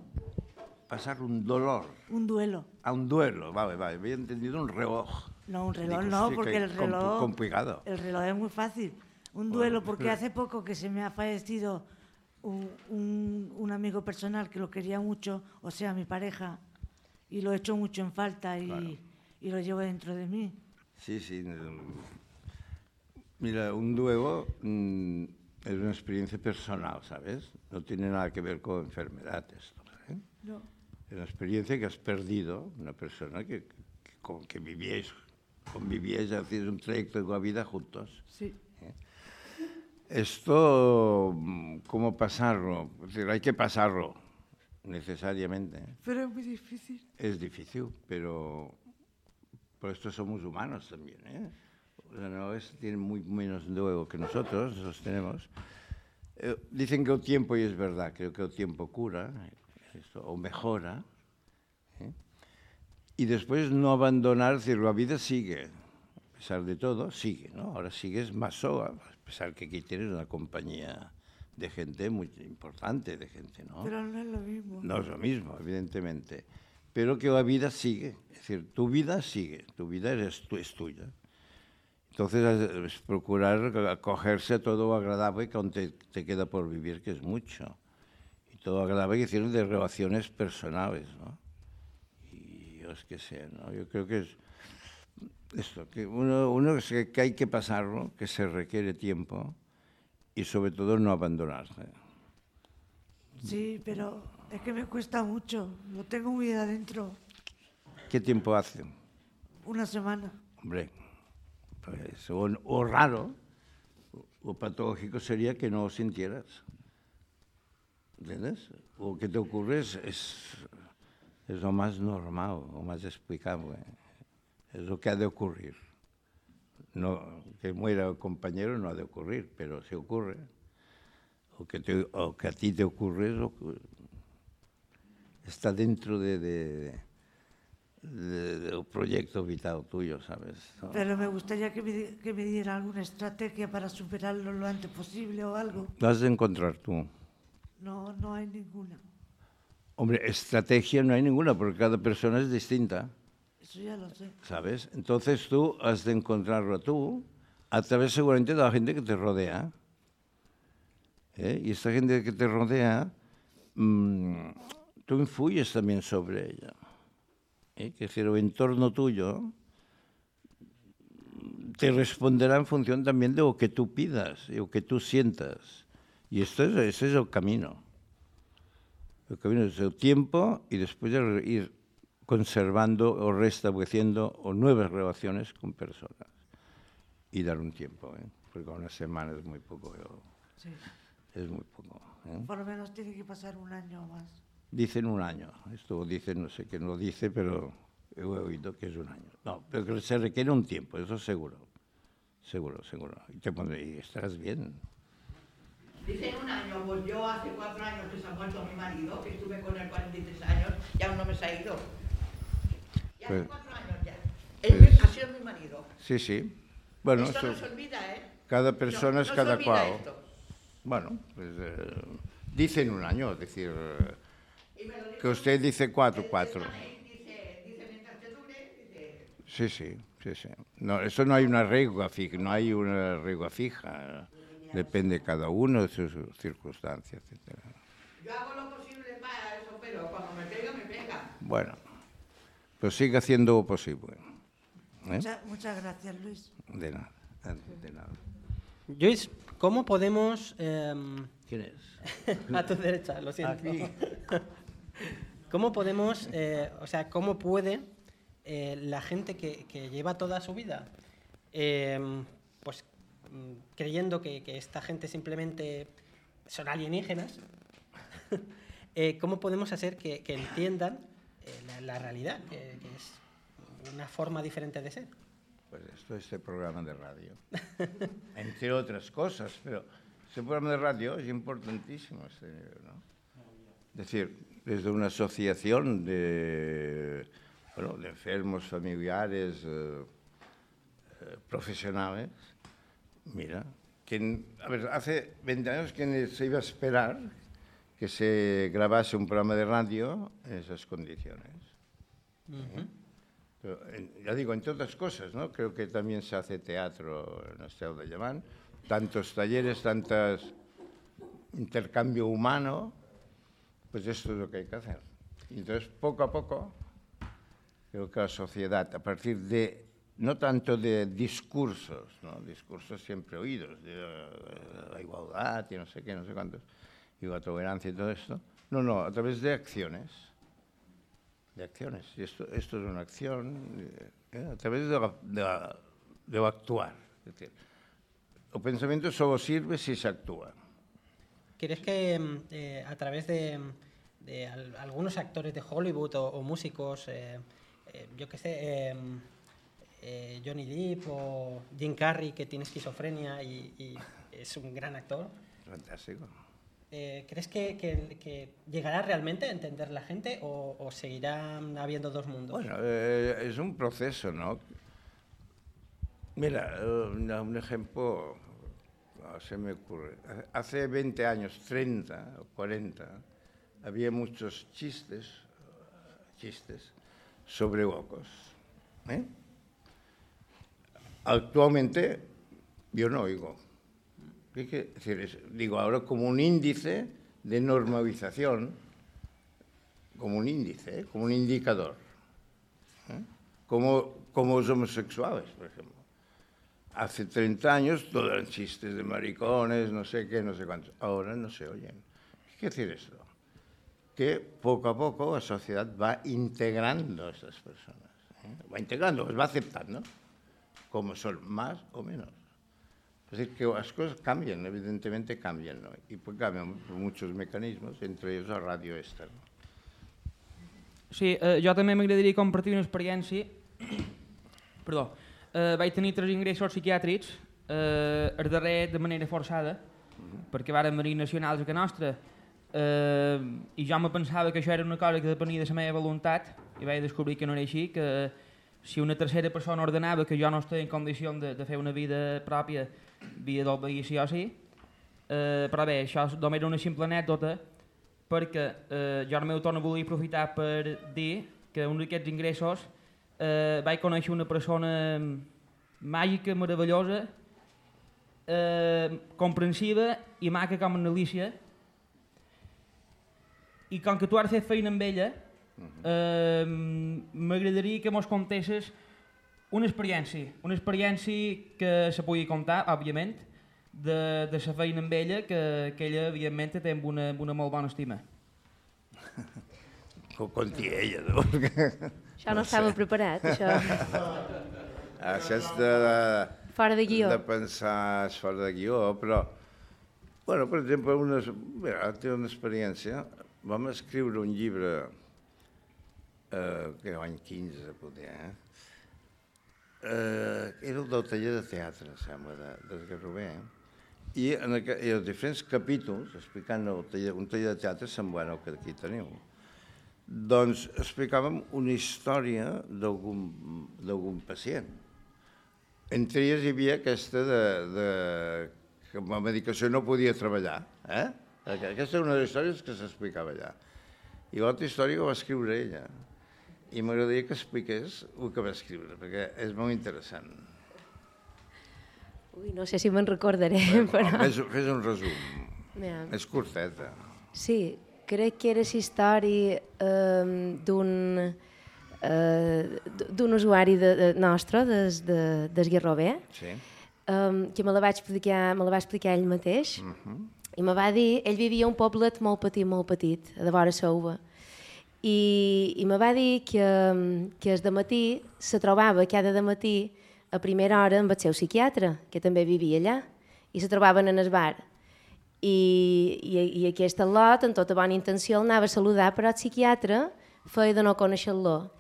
[SPEAKER 6] Pasar un dolor.
[SPEAKER 4] Un duelo.
[SPEAKER 6] A un duelo, vale, vale. Había entendido un reloj.
[SPEAKER 4] No, un reloj
[SPEAKER 6] Digo,
[SPEAKER 4] no,
[SPEAKER 6] sí,
[SPEAKER 4] porque
[SPEAKER 6] que
[SPEAKER 4] el reloj...
[SPEAKER 6] compl- complicado.
[SPEAKER 4] El reloj es muy fácil. Un
[SPEAKER 6] Bueno,
[SPEAKER 4] duelo, porque
[SPEAKER 6] espera.
[SPEAKER 4] hace poco que se me ha fallecido un, un- un amigo personal que lo quería mucho, o sea, mi pareja, y lo he hecho mucho en falta y,
[SPEAKER 6] Claro.
[SPEAKER 4] y lo llevo dentro de mí.
[SPEAKER 6] Sí, sí. mm, Mira, un duelo mm, es una experiencia personal, ¿sabes? No tiene nada que ver con enfermedad esto, ¿eh?
[SPEAKER 4] No.
[SPEAKER 6] Es una experiencia que has perdido, una persona que, que, con que vivíais, convivíais, hacíais un trayecto de la vida juntos.
[SPEAKER 4] Sí.
[SPEAKER 6] Esto, mm, ¿cómo pasarlo? Es decir, hay que pasarlo, necesariamente.
[SPEAKER 4] Pero es muy difícil.
[SPEAKER 6] Es difícil, pero por esto somos humanos también, ¿eh? O sea, no es, tienen muy menos duelo que nosotros, nosotros tenemos. Eh, dicen que el tiempo, y es verdad, creo que el tiempo cura, esto, o mejora, ¿eh? Y después no abandonar, es decir, la vida sigue, a pesar de todo, sigue, ¿no? Ahora sigues más sola, a pesar que aquí tienes una compañía de gente muy importante, de gente, ¿no?
[SPEAKER 4] Pero no es lo mismo.
[SPEAKER 6] No es lo mismo, evidentemente, pero que la vida sigue, es decir, tu vida sigue, tu vida es, tu, es tuya. Entonces, es procurar acogerse a todo lo agradable que aún te, te queda por vivir, que es mucho. Y todo lo agradable que tienen de relaciones personales, ¿no? Y yo es que sé, ¿no? Yo creo que es esto, que uno, uno es que, que hay que pasarlo, que se requiere tiempo y sobre todo no abandonarse.
[SPEAKER 4] Sí, pero es que me cuesta mucho. Lo tengo muy adentro.
[SPEAKER 6] ¿Qué tiempo hace?
[SPEAKER 4] Una semana.
[SPEAKER 6] Hombre, pues, o, o raro, o, o patológico sería que no lo sintieras. ¿Entiendes? O que te ocurre es, es, es lo más normal, lo más explicable. Es lo que ha de ocurrir. No, que muera el compañero no ha de ocurrir, pero si ocurre, o que, te, o que a ti te ocurre, es lo que está dentro de... de De, del proyecto vital tuyo, ¿sabes? ¿No?
[SPEAKER 4] Pero me gustaría que me, di- que me diera alguna estrategia para superarlo lo antes posible o algo.
[SPEAKER 6] Lo has de encontrar tú.
[SPEAKER 4] No, no hay ninguna.
[SPEAKER 6] Hombre, estrategia no hay ninguna, porque cada persona es distinta,
[SPEAKER 4] Eso ya lo sé.
[SPEAKER 6] ¿sabes? Entonces tú has de encontrarlo tú, a través seguramente de la gente que te rodea. ¿eh? Y esta gente que te rodea, mmm, tú influyes también sobre ella. ¿eh? Que es decir, el entorno tuyo te responderá en función también de lo que tú pidas y lo que tú sientas. Y esto es, ese es el camino. El camino es el tiempo y después de ir conservando o restableciendo o nuevas relaciones con personas. Y dar un tiempo, ¿eh? Porque una semana es muy poco. Yo,
[SPEAKER 4] Sí.
[SPEAKER 6] es muy poco. ¿eh?
[SPEAKER 4] Por lo menos tiene que pasar un año o más.
[SPEAKER 6] Dicen un año. Esto dicen, no sé quién lo dice, pero he oído que es un año. No, pero que se requiere un tiempo, eso seguro. Seguro, seguro. Y te pondré, y estarás bien.
[SPEAKER 11] Dicen un año, pues yo hace cuatro años que se ha muerto mi marido, que estuve con él cuarenta y tres años, y aún no me se ha ido. Y hace
[SPEAKER 6] Pues-
[SPEAKER 11] cuatro años ya. Él
[SPEAKER 6] pues-
[SPEAKER 11] ha sido mi marido.
[SPEAKER 6] Sí, sí. Bueno,
[SPEAKER 11] esto no
[SPEAKER 6] esto-
[SPEAKER 11] se olvida, ¿eh?
[SPEAKER 6] cada persona
[SPEAKER 11] No-
[SPEAKER 6] es
[SPEAKER 11] no se
[SPEAKER 6] cada
[SPEAKER 11] olvida
[SPEAKER 6] cual.
[SPEAKER 11] esto.
[SPEAKER 6] Bueno, pues eh, dicen un año, es decir, eh,
[SPEAKER 11] Y me lo dijo
[SPEAKER 6] que usted dice cuatro,
[SPEAKER 11] el- el
[SPEAKER 6] cuatro.
[SPEAKER 11] Taney, dice, dice, mientras te dure, dice,
[SPEAKER 6] Sí, sí, sí, sí. No, eso no hay una regla fija, no hay una regla fija. Depende de cada uno de sus circunstancias, etcétera.
[SPEAKER 11] yo hago lo posible para eso, pero cuando me pega, me pega.
[SPEAKER 6] Bueno, pues sigue haciendo lo posible. ¿eh?
[SPEAKER 4] Mucha- muchas gracias, Luis.
[SPEAKER 6] De nada, de nada.
[SPEAKER 9] Luis, ¿cómo podemos... em,
[SPEAKER 6] ¿Quién es?
[SPEAKER 9] a tu derecha, lo siento.
[SPEAKER 6] Aquí.
[SPEAKER 9] ¿Cómo podemos, eh, o sea, cómo puede eh, la gente que, que lleva toda su vida, em, pues mm, creyendo que, que esta gente simplemente son alienígenas, eh, cómo podemos hacer que, que entiendan eh, la, la realidad, que, que es una forma diferente de ser?
[SPEAKER 6] Pues esto es este programa de radio. Entre otras cosas, pero este programa de radio es importantísimo. Este, ¿no? Es decir, desde una asociación de, bueno, de enfermos familiares eh, eh, profesionales, mira, que, a ver, hace veinte años que se iba a esperar que se grabase un programa de radio en esas condiciones. Uh-huh. ¿Eh? Pero, en, ya digo, entre otras cosas, ¿no? Creo que también se hace teatro en Estel de Llevant, tantos talleres, tantos intercambio humano, pues esto es lo que hay que hacer. Y entonces, poco a poco, creo que la sociedad, a partir de, no tanto de discursos, ¿no? Discursos siempre oídos, de, de la igualdad y no sé qué, no sé cuántos, y la tolerancia y todo esto, no, no, a través de acciones. De acciones. Y esto, esto es una acción eh, a través de, la, de, la, de lo actuar. Es decir, el pensamiento solo sirve si se actúa.
[SPEAKER 9] ¿Crees que eh, a través de, de al, algunos actores de Hollywood o, o músicos, eh, eh, yo qué sé, eh, eh, Johnny Depp o Jim Carrey, que tiene esquizofrenia y, y es un gran actor?
[SPEAKER 6] Fantástico.
[SPEAKER 9] Eh, ¿Crees que, que, que llegará realmente a entender la gente o, o seguirá habiendo dos mundos?
[SPEAKER 6] Bueno, eh, es un proceso, ¿no? Mira, un, un ejemplo se me ocurre. Hace veinte años, treinta o cuarenta, había muchos chistes, chistes sobre locos. ¿eh? Actualmente yo no oigo. ¿Qué quiere decir? Es, digo, ahora como un índice de normalización, como un índice, ¿eh? como un indicador. ¿eh? Como, como los homosexuales, por ejemplo. Hace treinta años todos eran chistes de maricones, no sé qué, no sé cuántos. Ahora no se oyen. ¿Qué quiere decir esto? Que poco a poco la sociedad va integrando a estas personas. ¿eh? Va integrando, las va aceptando, como son, más o menos. Es decir, que las cosas cambian, evidentemente cambian, ¿no? Y pues cambian por muchos mecanismos, entre ells la ràdio esta. No?
[SPEAKER 3] Sí, eh, jo també m'agradaria compartir una experiència. Perdó. Eh, vaig tenir tres ingressos psiquiàtrics, eh, el darrer de manera forçada, uh-huh. perquè varen venir nacionals a casa nostra, eh, i jo me pensava que això era una cosa que depenia de la meva voluntat, i vaig descobrir que no era així, que si una tercera persona ordenava que jo no estava en condició de, de fer una vida pròpia, havia d'obeir sí o sí. Eh, però bé, això només era una simple anècdota, perquè eh, jo al meu torn volia aprofitar per dir que un d'aquests ingressos eh, vaig conèixer una persona màgica, meravellosa, eh, comprensiva i maca com en Alicia, i com que tu has fet feina amb ella, eh, m'agradaria que mos contessis una experiència, una experiència que se pugui contar, òbviament, de, de la feina amb ella, que, que ella, evidentment, té amb una, amb una molt bona estima.
[SPEAKER 6] Que ho conti ella, no?
[SPEAKER 5] Això no estava preparat, això.
[SPEAKER 6] Això és de...
[SPEAKER 5] Fora de guió.
[SPEAKER 6] De pensar fora de guió, però... Bueno, per exemple, una, mira, té una experiència. Vam escriure un llibre, eh, que l'any quinze, poder, eh? Eh, era el del taller de teatre, sembla, de, del Garrover, i en, aqu en els diferents capítols, explicant el taller, un taller de teatre semblant al que aquí teniu, doncs explicàvem una història d'algun pacient. Entre elles hi havia aquesta de, de que amb la medicació no podia treballar. Eh? Aquesta és una de les històries que s'explicava allà. I l'altra història ho va escriure ella. I m'agradaria que expliqués el que va escriure, perquè és molt interessant.
[SPEAKER 5] Ui, no sé si me'n recordaré,
[SPEAKER 6] Bé,
[SPEAKER 5] però...
[SPEAKER 6] Fes, fes un resum.
[SPEAKER 5] Ja.
[SPEAKER 6] És curteta.
[SPEAKER 5] Sí, crec que era la història eh, d'un eh, d'un usuari de, de, nostre, des, de, des Garrover,
[SPEAKER 6] sí.
[SPEAKER 5] eh, que me la va explicar, me la va explicar ell mateix, uh -huh. i me va dir, ell vivia un poblet molt petit, molt petit, a de vora Souva, I, i me va dir que, que el dematí se trobava cada dematí a primera hora amb el seu psiquiatre, que també vivia allà, i se trobaven en el bar. I, i, i aquest al·lot, en tota bona intenció, el anava a saludar, però el psiquiatre feia de no conèixer-lo.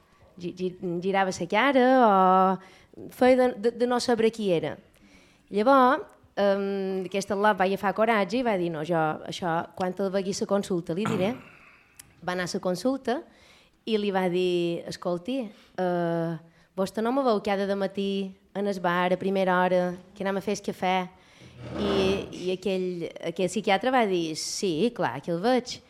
[SPEAKER 5] Girava la cara o feia de, de, de no saber qui era. Llavors, um, aquest al·lot va agafar coratge i va dir, no, jo això, quan el vegui la consulta li diré. va anar a la consulta i li va dir, escolti, eh, vostè no me veu cada de matí en el bar a primera hora que anem a fer el cafè? I, i aquell, aquell psiquiatre va dir, sí, clar, que el veig.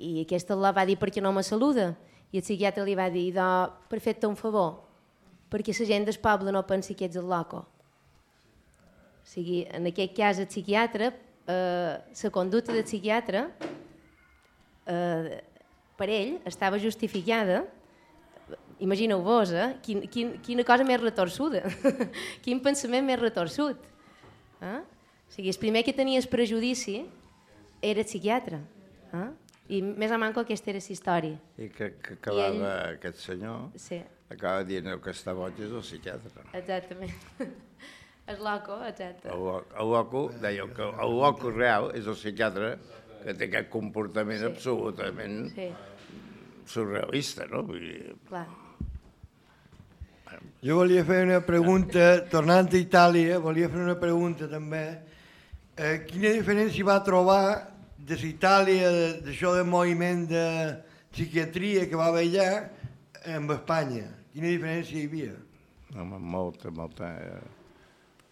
[SPEAKER 5] I aquesta la va dir, perquè no me saluda? I el psiquiatre li va dir, do, per fer-te un favor, perquè la gent del poble no pensi que ets el loco. O sigui, en aquest cas el psiquiatre, eh, la conducta del psiquiatre, eh, per ell, estava justificada. Imagineu-vos, eh? Quin, quin, quina cosa més retorçuda, quin pensament més retorçut. Eh? O sigui, el primer que tenia el prejudici era el psiquiatre. Eh? I més o manco aquesta era la història.
[SPEAKER 6] I que, que acabava
[SPEAKER 5] I ell...
[SPEAKER 6] aquest senyor,
[SPEAKER 5] sí.
[SPEAKER 6] acaba dient que està boig és el psiquiatre.
[SPEAKER 5] Exactament. El loco, exacte.
[SPEAKER 6] El, el loco, deia que el loco real és el psiquiatre que té aquest comportament sí. absolutament sí. surrealista, no? Vull dir...
[SPEAKER 5] Clar.
[SPEAKER 2] Jo volia fer una pregunta, tornant a Itàlia, volia fer una pregunta també. Eh, quina diferència va trobar de l'Itàlia, d'això del moviment de psiquiatria que va haver allà, amb Espanya? Quina diferència hi havia?
[SPEAKER 6] Home, molta, molta. Eh,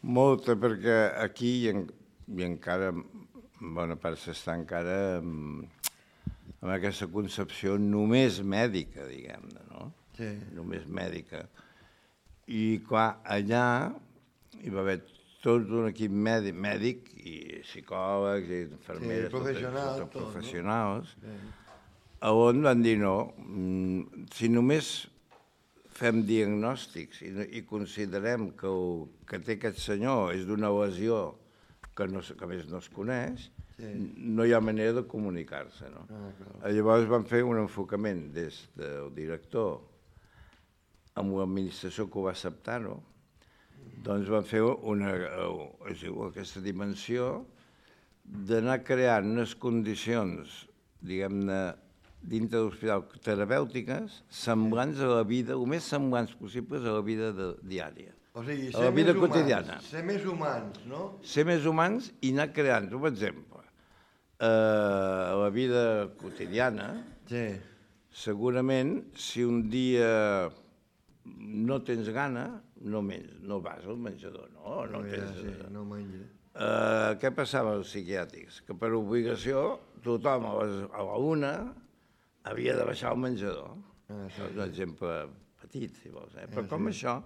[SPEAKER 6] molta, perquè aquí i, en, i encara, en bona part s'està encara amb, amb aquesta concepció només mèdica, diguem-ne, no?
[SPEAKER 2] Sí.
[SPEAKER 6] Només mèdica. I, clar, allà hi va haver tot un equip mèdic, mèdic i psicòlegs i infermeres,
[SPEAKER 2] sí, professionals,
[SPEAKER 6] tot, tot, professionals,
[SPEAKER 2] no?
[SPEAKER 6] Sí. On van dir no, si només fem diagnòstics i, i considerem que el que té aquest senyor és d'una lesió que, no, que més no es coneix, sí. no hi ha manera de comunicar-se. No? Ah, llavors van fer un enfocament des del director amb l'administració que ho va acceptar-ho, doncs van fer una, és igual, aquesta dimensió d'anar creant unes condicions, diguem-ne, dintre de l'hospital terapèutiques, semblants a la vida, el més semblants possibles a la vida de, diària.
[SPEAKER 2] O sigui,
[SPEAKER 6] a la vida quotidiana.
[SPEAKER 2] Ser més humans, no?
[SPEAKER 6] Ser més humans i anar creant, per exemple, a la vida quotidiana,
[SPEAKER 2] sí. segurament,
[SPEAKER 6] si un dia no tens gana, no, menys, no vas al menjador, no? No,
[SPEAKER 2] no,
[SPEAKER 6] tens,
[SPEAKER 2] ja, sí, no menja.
[SPEAKER 6] Uh, què passava als psiquiàtrics? Que per obligació tothom a, les, a la una havia de baixar al menjador. Ah, sí, és un exemple petit, si vols. Eh? Però ah, com sí. això,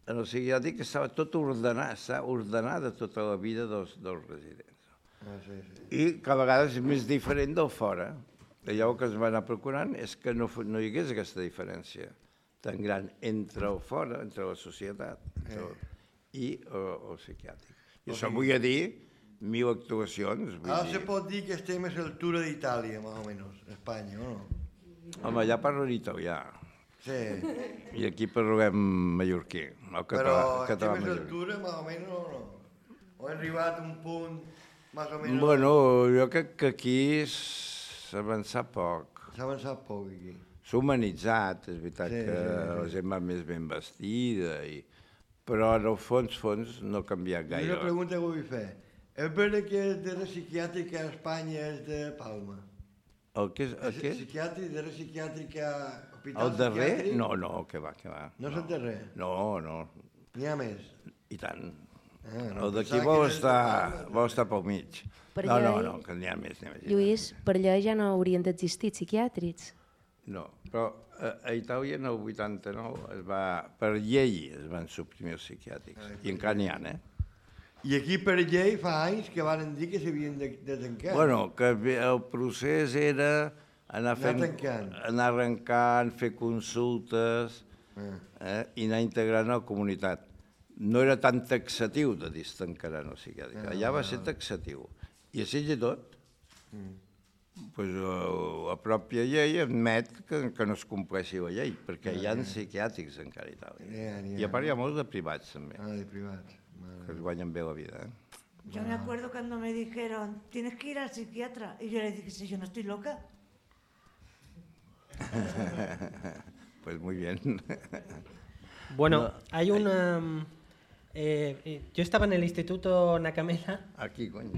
[SPEAKER 6] en el psiquiàtric estava tot ordenat, estava ordenada tota la vida dels, dels residents.
[SPEAKER 2] Ah, sí, sí.
[SPEAKER 6] I que a vegades és més diferent del fora. Allò que es va anar procurant és que no, no hi hagués aquesta diferència tan gran entre el fora, entre la societat entre el, i el, el psiquiàtric. I això vull dir mil actuacions. Vull
[SPEAKER 2] Ara
[SPEAKER 6] dir...
[SPEAKER 2] se pot dir que estem a l'altura d'Itàlia, més o menys, Espanya, o no?
[SPEAKER 6] Home, allà parlen italià.
[SPEAKER 2] Sí.
[SPEAKER 6] I aquí parlem mallorquí, el català,
[SPEAKER 2] Però
[SPEAKER 6] el català
[SPEAKER 2] estem a l'altura, més o menys, o no? O hem arribat a un punt, més o menys...
[SPEAKER 6] Bueno, jo crec que aquí s'ha avançat poc.
[SPEAKER 2] S'ha avançat poc, aquí.
[SPEAKER 6] S'ha humanitzat, és veritat
[SPEAKER 2] sí,
[SPEAKER 6] que
[SPEAKER 2] sí, sí.
[SPEAKER 6] la gent va més ben vestida, i... però en el fons, fons no ha canviat gaire.
[SPEAKER 2] Una pregunta que vull fer. És veritat que el darrer psiquiàtric a Espanya és de Palma?
[SPEAKER 6] El que és? El què?
[SPEAKER 2] Psiquiàtric, darrer psiquiàtric a hospital
[SPEAKER 6] el darrer?
[SPEAKER 2] psiquiàtric?
[SPEAKER 6] No, no, que va, que va.
[SPEAKER 2] No és el darrer?
[SPEAKER 6] No, no.
[SPEAKER 2] N'hi ha més?
[SPEAKER 6] I tant.
[SPEAKER 2] Ah, no,
[SPEAKER 6] el d'aquí vol estar, vol estar pel mig.
[SPEAKER 5] Per
[SPEAKER 6] no,
[SPEAKER 5] llei,
[SPEAKER 6] no, no, que n'hi ha més. Més
[SPEAKER 5] Lluís, per allà ja no haurien d'existir psiquiàtrics.
[SPEAKER 6] No, però a, a Itàlia en el vuitanta-nou es va, per llei es van suprimir els psiquiàtrics, ah, i encara n'hi ha, eh?
[SPEAKER 2] I aquí per llei fa anys que van dir que s'havien de, de tancar.
[SPEAKER 6] Bueno, que el procés era anar, fent,
[SPEAKER 2] anar,
[SPEAKER 6] anar arrencant, fer consultes ah. eh, i anar integrant a la comunitat. No era tan taxatiu de dir tancaran el psiquiàtric, ah, allà va ser taxatiu. I així i tot, mm. pues, la pròpia llei admet que, que no es compleixi la llei, perquè hi ha psiquiàtrics encara a Itàlia. Yeah, yeah. I a part hi ha molts de privats, també.
[SPEAKER 2] Ah, de privats.
[SPEAKER 6] Que es guanyen bé la vida, eh?
[SPEAKER 4] Yo me acuerdo cuando me dijeron, tienes que ir al psiquiatra. Y yo le dije, si yo no estoy loca.
[SPEAKER 6] Pues muy bien.
[SPEAKER 9] Bueno, no, hay una... Eh, yo estaba en el Instituto Nakamela.
[SPEAKER 6] Aquí, coño.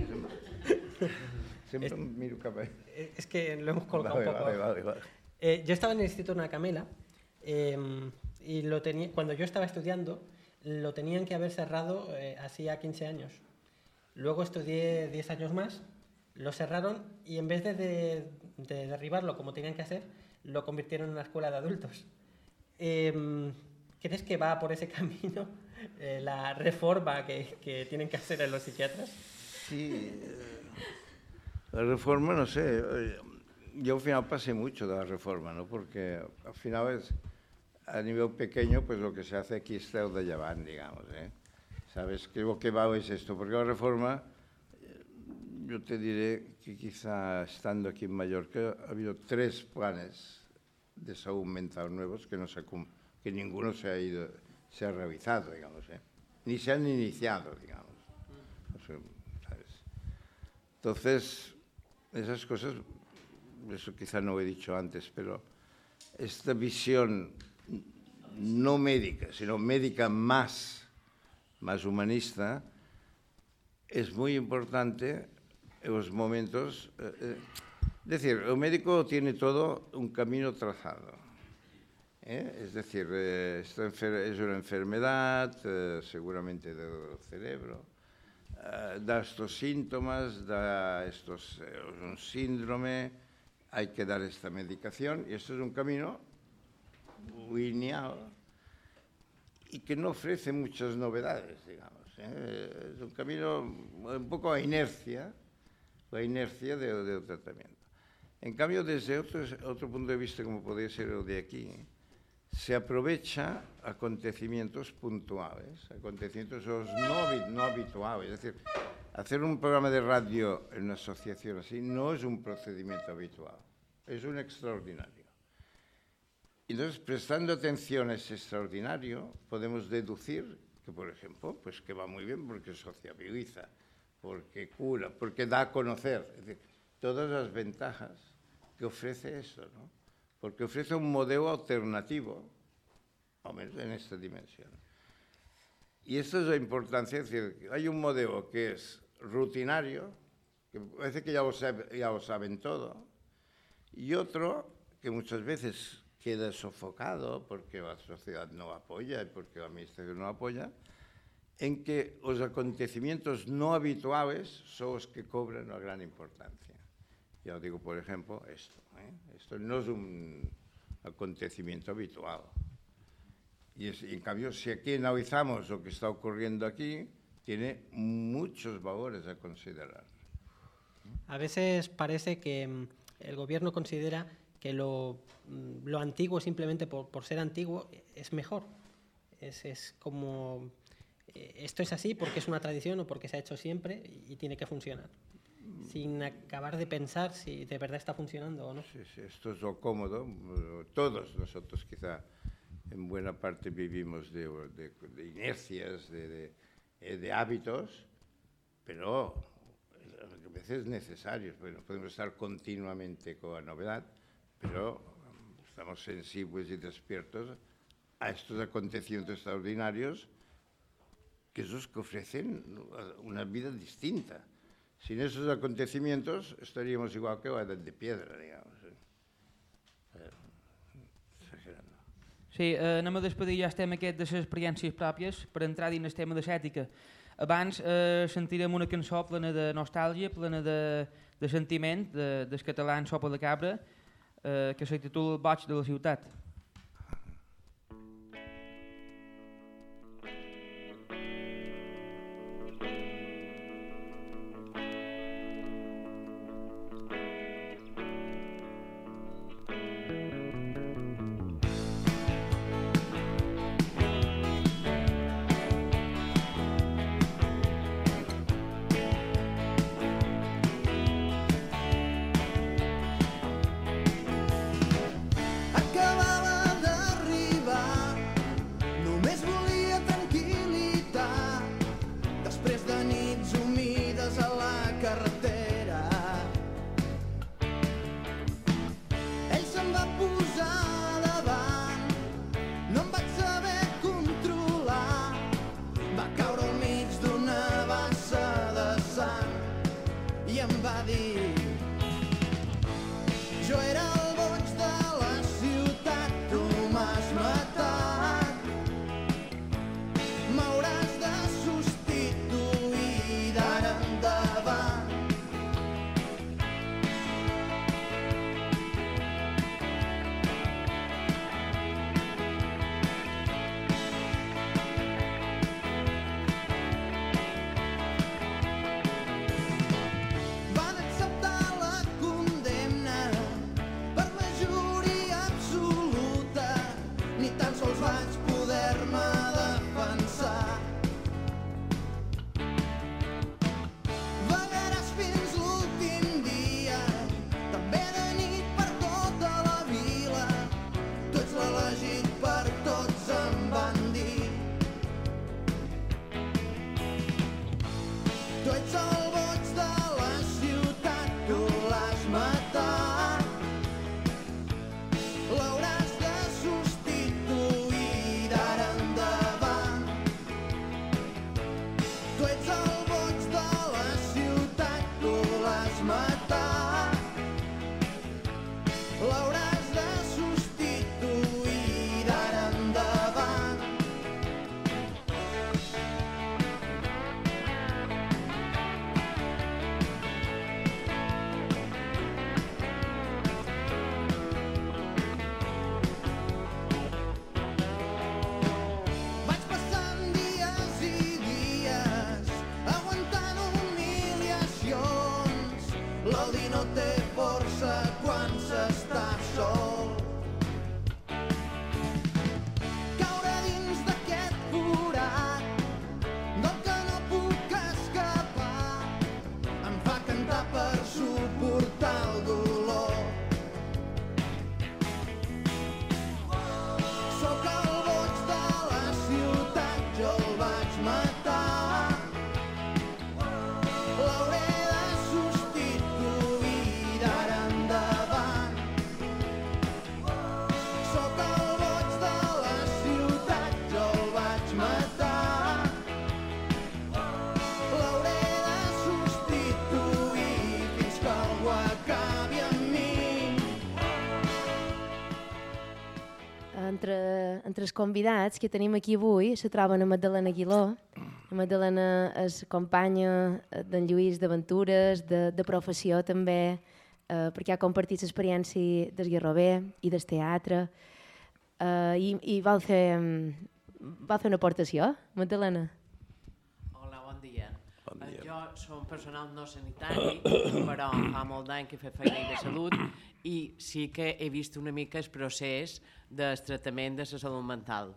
[SPEAKER 6] Siempre es, miro cap ahí.
[SPEAKER 9] Es que lo hemos colocado
[SPEAKER 6] vale,
[SPEAKER 9] un poco.
[SPEAKER 6] Vale, vale, vale.
[SPEAKER 9] Eh, yo estaba en el Instituto Nacamela eh, y lo tenía, cuando yo estaba estudiando lo tenían que haber cerrado eh, hacía quince años. Luego estudié diez años más, lo cerraron y en vez de, de, de derribarlo como tenían que hacer, lo convirtieron en una escuela de adultos. Eh, ¿Crees que va por ese camino eh, la reforma que, que tienen que hacer en los psiquiatras?
[SPEAKER 6] Sí, eh, la reforma, no sé, eh, yo al final pasé mucho de la reforma, ¿no? Porque al final es, a nivel pequeño, pues lo que se hace aquí es el de llevar, digamos, ¿eh? ¿Sabes? Que lo que va es esto, porque la reforma, eh, yo te diré que quizá estando aquí en Mallorca ha habido tres planes de salud mental nuevos que no se que ninguno se ha ido, se ha realizado, digamos, ¿eh? Ni se han iniciado, digamos. O sea, ¿sabes? Entonces, esas cosas, eso quizá no lo he dicho antes, pero esta visión no médica, sino médica más, más humanista, es muy importante en los momentos. Eh, es decir, el médico tiene todo un camino trazado. ¿Eh? Es decir, eh, esta es una enfermedad, eh, seguramente del cerebro, eh, da estos síntomas, da estos, eh, un síndrome, hay que dar esta medicación, y esto es un camino lineal y que no ofrece muchas novedades, digamos, ¿eh? Es un camino un poco a inercia, la inercia del, del tratamiento. En cambio, desde otro, otro punto de vista, como podría ser el de aquí, se aprovecha acontecimientos puntuales, acontecimientos no, no habituales. Es decir, hacer un programa de radio en una asociación así no es un procedimiento habitual, es un extraordinario. Entonces, prestando atención a ese extraordinario, podemos deducir que, por ejemplo, pues que va muy bien porque sociabiliza, porque cura, porque da a conocer. Es decir, todas las ventajas que ofrece eso, ¿no? Porque ofrece un modelo alternativo, al menos en esta dimensión. Y esta es la importancia, es decir, hay un modelo que es rutinario, que parece que ya lo, sabe, ya lo saben todo, y otro que muchas veces queda sofocado porque la sociedad no apoya y porque la administración no apoya, en que los acontecimientos no habituales son los que cobran una gran importancia. Ya os digo, por ejemplo, esto. ¿eh? Esto no es un acontecimiento habitual. Y, es, y en cambio, si aquí analizamos lo que está ocurriendo aquí, tiene muchos valores a considerar.
[SPEAKER 9] A veces parece que el gobierno considera que lo, lo antiguo, simplemente por, por ser antiguo, es mejor. Es, es como, esto es así porque es una tradición o porque se ha hecho siempre y, y tiene que funcionar, sin acabar de pensar si de verdad está funcionando o no.
[SPEAKER 6] Sí, sí, esto es lo cómodo. Todos nosotros quizá en buena parte vivimos de, de, de inercias, de, de, de hábitos, pero a veces necesarios, porque no podemos estar continuamente con la novedad, pero estamos sensibles y despiertos a estos acontecimientos extraordinarios, que es los que ofrecen una vida distinta. Sin esos acontecimientos estaríamos igual que la edad de piedra, digamos. Eh, exagerando.
[SPEAKER 3] Sí, eh, anem a despedir ja el tema aquest de les experiències pròpies per entrar dins el tema de l'ètica. Abans eh, sentirem una cançó plena de nostàlgia, plena de, de sentiment, de, del català en Sopa de Cabra, eh, que se titula Boig de la ciutat.
[SPEAKER 1] Acababa ets el boig de la ciutat, tu l'has matat. L'hauràs de substituir d'ara endavant. Tu ets el boig de la ciutat, tu l'has matat. L'hauràs de substituir d'ara endavant. Vaig passant dies i dies aguantant humiliacions. L'odi no té força quan s'està sol. Caure dins d'aquest forat del que no puc escapar em fa cantar per suportar el dolor. Sóc el boig de la ciutat, jo el vaig matar. L'hauré de substituir d'ara endavant. Sóc el boig de la ciutat, jo el vaig matar. L'hauré de substituir fins que algú acabi amb mi.
[SPEAKER 5] Entre, entre els convidats que tenim aquí avui se troben a Magdalena Aguiló. La Magdalena és companya d'en Lluís d'aventures, de, de professió també, eh, perquè ha compartit l'experiència del guerrover i del teatre. Eh, i, I vol fer, vol fer una aportació, Magdalena?
[SPEAKER 12] Hola, bon dia.
[SPEAKER 6] Bon dia.
[SPEAKER 12] Jo soc un personal no sanitari, però fa molt d'any que he fet feina de salut i sí que he vist una mica el procés del tractament de la salut mental.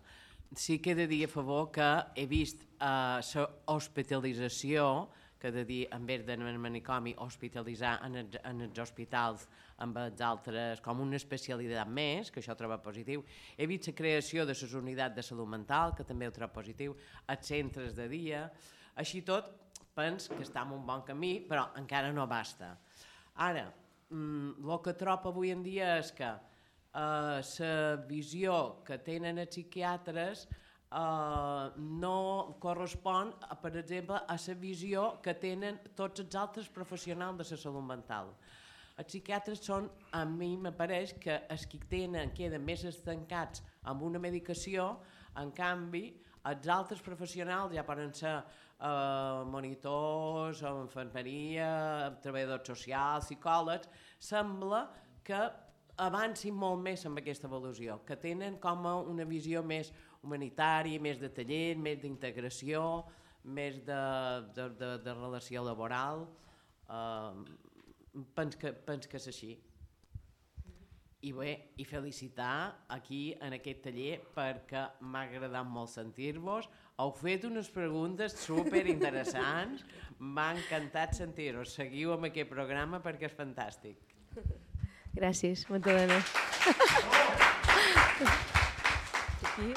[SPEAKER 12] Sí que he de dir a favor que he vist la uh, hospitalització, que he de dir, en vez d'anar al manicomi, hospitalitzar en els, en els hospitals amb els altres, com una especialitat més, que això ho trobo positiu. He vist la creació de les unitats de salut mental, que també ho trobo positiu, els centres de dia. Així tot, penso que està en un bon camí, però encara no basta. Ara, el que trobo avui en dia és que la uh, visió que tenen els psiquiatres uh, no correspon, uh, per exemple, a la visió que tenen tots els altres professionals de la salut mental. Els psiquiatres són, a mi m'apareix, que els que tenen, queden més estancats amb una medicació, en canvi, els altres professionals ja poden ser uh, monitors, infermeria, treballadors socials, psicòlegs, sembla que avancin molt més amb aquesta evolució, que tenen com una visió més humanitària, més de taller, més d'integració, més de, de, de, de relació laboral. Uh, penso que, penso que és així. I bé, i felicitar aquí en aquest taller perquè m'ha agradat molt sentir-vos. Heu fet unes preguntes superinteressants, m'ha encantat sentir-vos. Seguiu amb aquest programa perquè és fantàstic.
[SPEAKER 5] Gràcies, Magdalena. Aquí.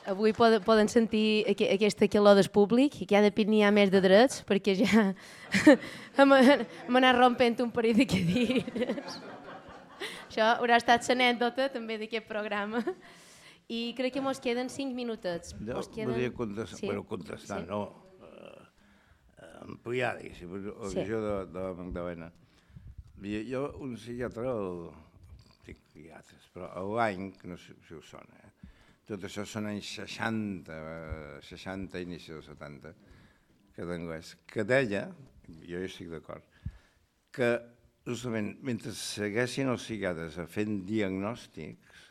[SPEAKER 5] Avui poden, poden sentir aqu aquesta calor del públic, que cada dia n'hi ha més de drets, perquè ja hem, hem anat rompent un parell de cadires. Això haurà estat l'anècdota també d'aquest programa. I crec que mos queden cinc minutets.
[SPEAKER 6] Jo
[SPEAKER 5] queden...
[SPEAKER 6] volia contestar, sí? bueno, contestar, sí. no, uh, ampliar, diguéssim, la sí. visió de, de la Magdalena. Jo, un psiquiatre, el, dic psiquiatres, però l'any, que no sé si us sona, eh? Tot això són anys seixanta, seixanta, inici dels setanta, que d'anglès, que deia, jo hi estic d'acord, que justament mentre segueixin els psiquiatres fent diagnòstics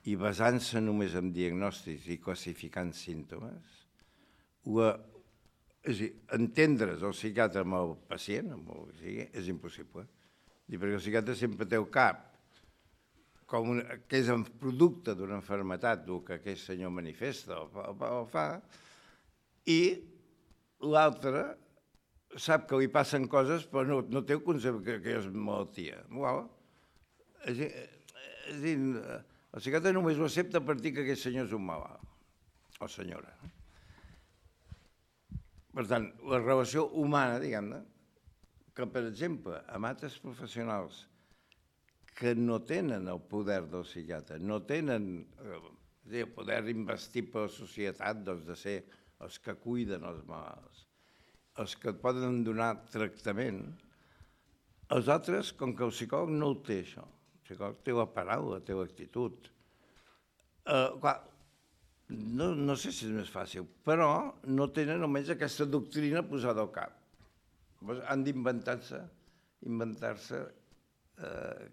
[SPEAKER 6] i basant-se només en diagnòstics i classificant símptomes, la, és a dir, entendre's el psiquiatre amb el pacient, amb el que sigui, és impossible. Perquè el psiquiatre sempre té el cap com un, que és un producte d'una malaltia, el que aquest senyor manifesta o, o, o fa, i l'altre sap que li passen coses però no, no té el concepte que, que és malaltia. Wow. És, és a dir, el psiquiatre només ho accepta a partir que aquest senyor és un malalt, o senyora. per tant, la relació humana, diguem-ne, que, per exemple, amb altres professionals que no tenen el poder del psiquiatre, no tenen eh, el poder investit per la societat doncs, de ser els que cuiden els malalts, els que poden donar tractament, els altres, com que el psicòleg no ho té, això, el psicòleg té la paraula, té l'actitud. Eh, clar, no, no sé si és més fàcil, però no tenen almenys aquesta doctrina posada al cap. Llavors han d'inventar-se, inventar-se eh,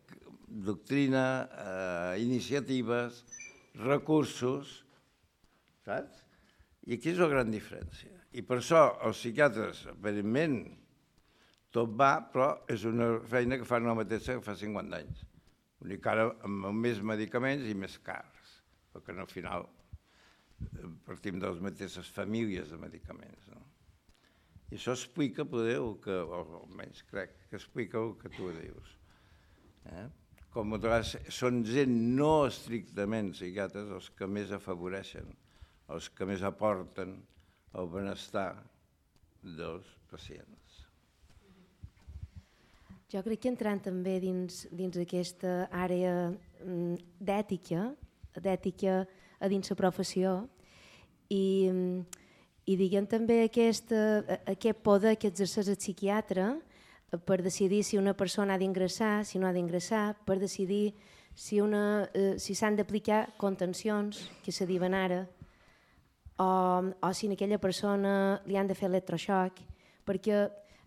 [SPEAKER 6] doctrina, eh, iniciatives, recursos, saps? I aquí és la gran diferència. I per això els psiquiatres, aparentment, tot va, però és una feina que fan la mateixa que fa cinquanta anys. Vull dir que ara amb més medicaments i més cars, perquè al final partim de les mateixes famílies de medicaments. No? I això explica, poder, el que, o almenys crec que explica el que tu dius. Eh? Com a vegades són gent no estrictament psiquiatres els que més afavoreixen, els que més aporten el benestar dels pacients.
[SPEAKER 5] Jo crec que entrant també dins, dins aquesta àrea d'ètica, d'ètica a dins la professió, i, i diguem també aquest, aquest poder que exerceix el psiquiatre per decidir si una persona ha d'ingressar, si no ha d'ingressar, per decidir si, una, eh, si s'han d'aplicar contencions, que se diuen ara, o, o si a aquella persona li han de fer electroxoc, perquè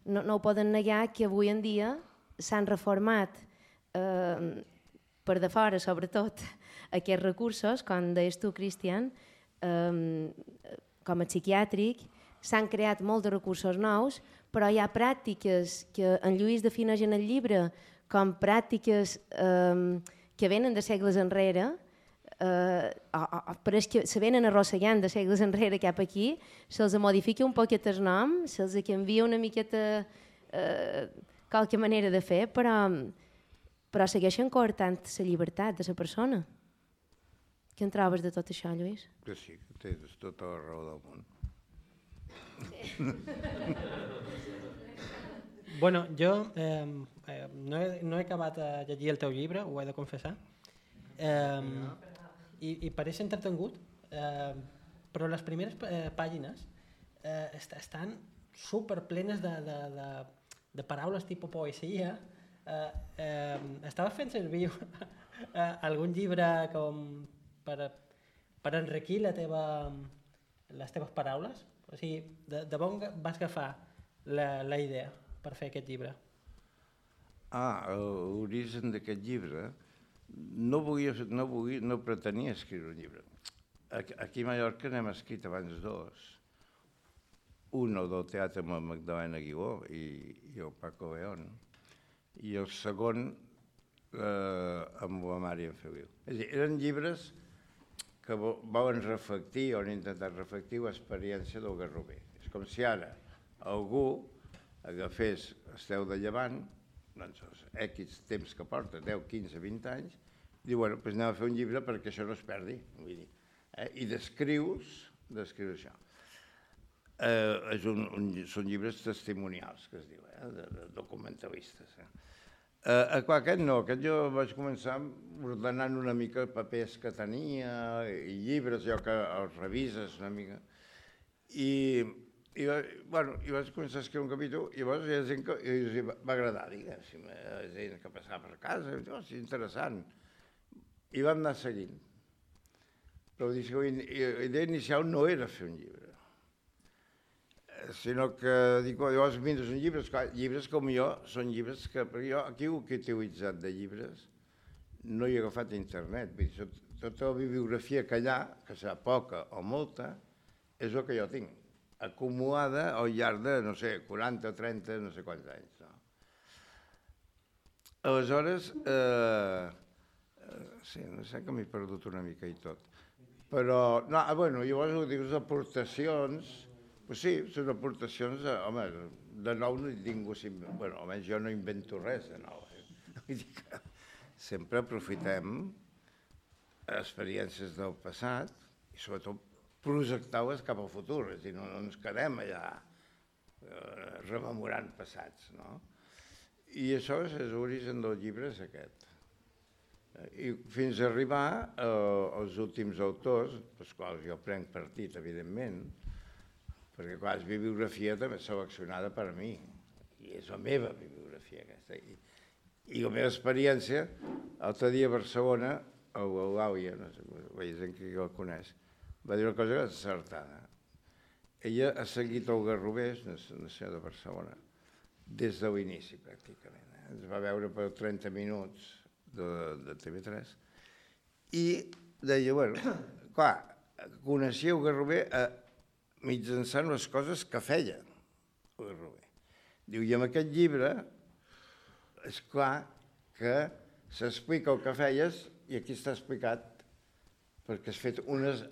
[SPEAKER 5] no, no ho poden negar que avui en dia s'han reformat eh, per de fora, sobretot, aquests recursos, com deies tu, Cristian, eh, com a psiquiàtric, s'han creat molts de recursos nous, però hi ha pràctiques que en Lluís defineix en el llibre com pràctiques eh, que venen de segles enrere, eh, o, o, però és que se venen arrossegant de segles enrere cap aquí, se'ls modifica un poquet el nom, se'ls canvia una miqueta eh, qualque manera de fer, però, però segueixen coartant la llibertat de la persona. Què en trobes de tot això, Lluís?
[SPEAKER 6] Que sí, que tens tota la raó del món.
[SPEAKER 9] Bueno, jo eh, eh, no, he, no he acabat de llegir el teu llibre, ho he de confessar, eh, i, i pareix entretengut, eh, però les primeres eh, pàgines eh, est estan superplenes de, de, de, de paraules tipus poesia. Eh, eh, estaves fent servir eh, algun llibre com per, per enriquir la teva, les teves paraules? O sigui, de, de on vas agafar la, la idea per fer aquest llibre?
[SPEAKER 6] Ah, l'origen d'aquest llibre, no, volia, no, volia, no pretenia escriure un llibre. Aquí a Mallorca n'hem escrit abans dos. Un, el del teatre amb la Magdalena Aguiló i, i el Paco León, i el segon eh, amb la Mària Feliu. És a dir, eren llibres que volen reflectir, o han intentat reflectir l'experiència del Garrover. És com si ara algú agafés Esteu de Llevant, doncs els X temps que porta, deu, quinze, vint anys, i diu, bueno, doncs anem a fer un llibre perquè això no es perdi. Vull dir, eh? I descrius, descrius això. Eh, és un, un, són llibres testimonials, que es diu, eh? de, de documentalistes. Eh? Eh, aquest no, aquest jo vaig començar ordenant una mica papers que tenia i llibres, jo que els revises una mica. I, i, bueno, i vaig començar a escriure un capítol i llavors hi ha gent que i va agradar, diguéssim, gent que passava per casa, i oh, és interessant. I vam anar seguint. Però la idea inicial no era fer un llibre, sinó que dic, llavors mires un llibre, llibres com jo, són llibres que, perquè jo aquí el que he utilitzat de llibres no hi he agafat internet, vull dir, tota la bibliografia que hi ha, que serà poca o molta, és el que jo tinc, acumulada al llarg de, no sé, quaranta, trenta, no sé quants anys. No? Aleshores, eh, sí, no sé que m'he perdut una mica i tot, però, no, bueno, llavors ho dius aportacions. Pues sí, són aportacions, home, de nou no hi tinc, bueno, almenys jo no invento res de nou. Vull dir que sempre aprofitem experiències del passat i sobretot projectar-les cap al futur, és a dir, no ens quedem allà eh, rememorant passats, no? I això és l'origen del llibre, és aquest. I fins a arribar eh, als últims autors, dels quals jo prenc partit, evidentment, perquè, clar, és bibliografia també seleccionada per mi, i és la meva bibliografia aquesta. I, i la meva experiència, l'altre dia a Barcelona, l'Àuia, no sé, la gent que el coneix, va dir una cosa encertada. Ella ha seguit el Garrovers, una senyora de Barcelona, des de l'inici, pràcticament. Eh? Ens va veure per trenta minuts de, de T V tres i deia, bueno, clar, coneixia el Garrover eh, mitjançant les coses que feia el Garrover. Diu, i amb aquest llibre és clar que s'explica el que feies i aquí està explicat perquè has fet unes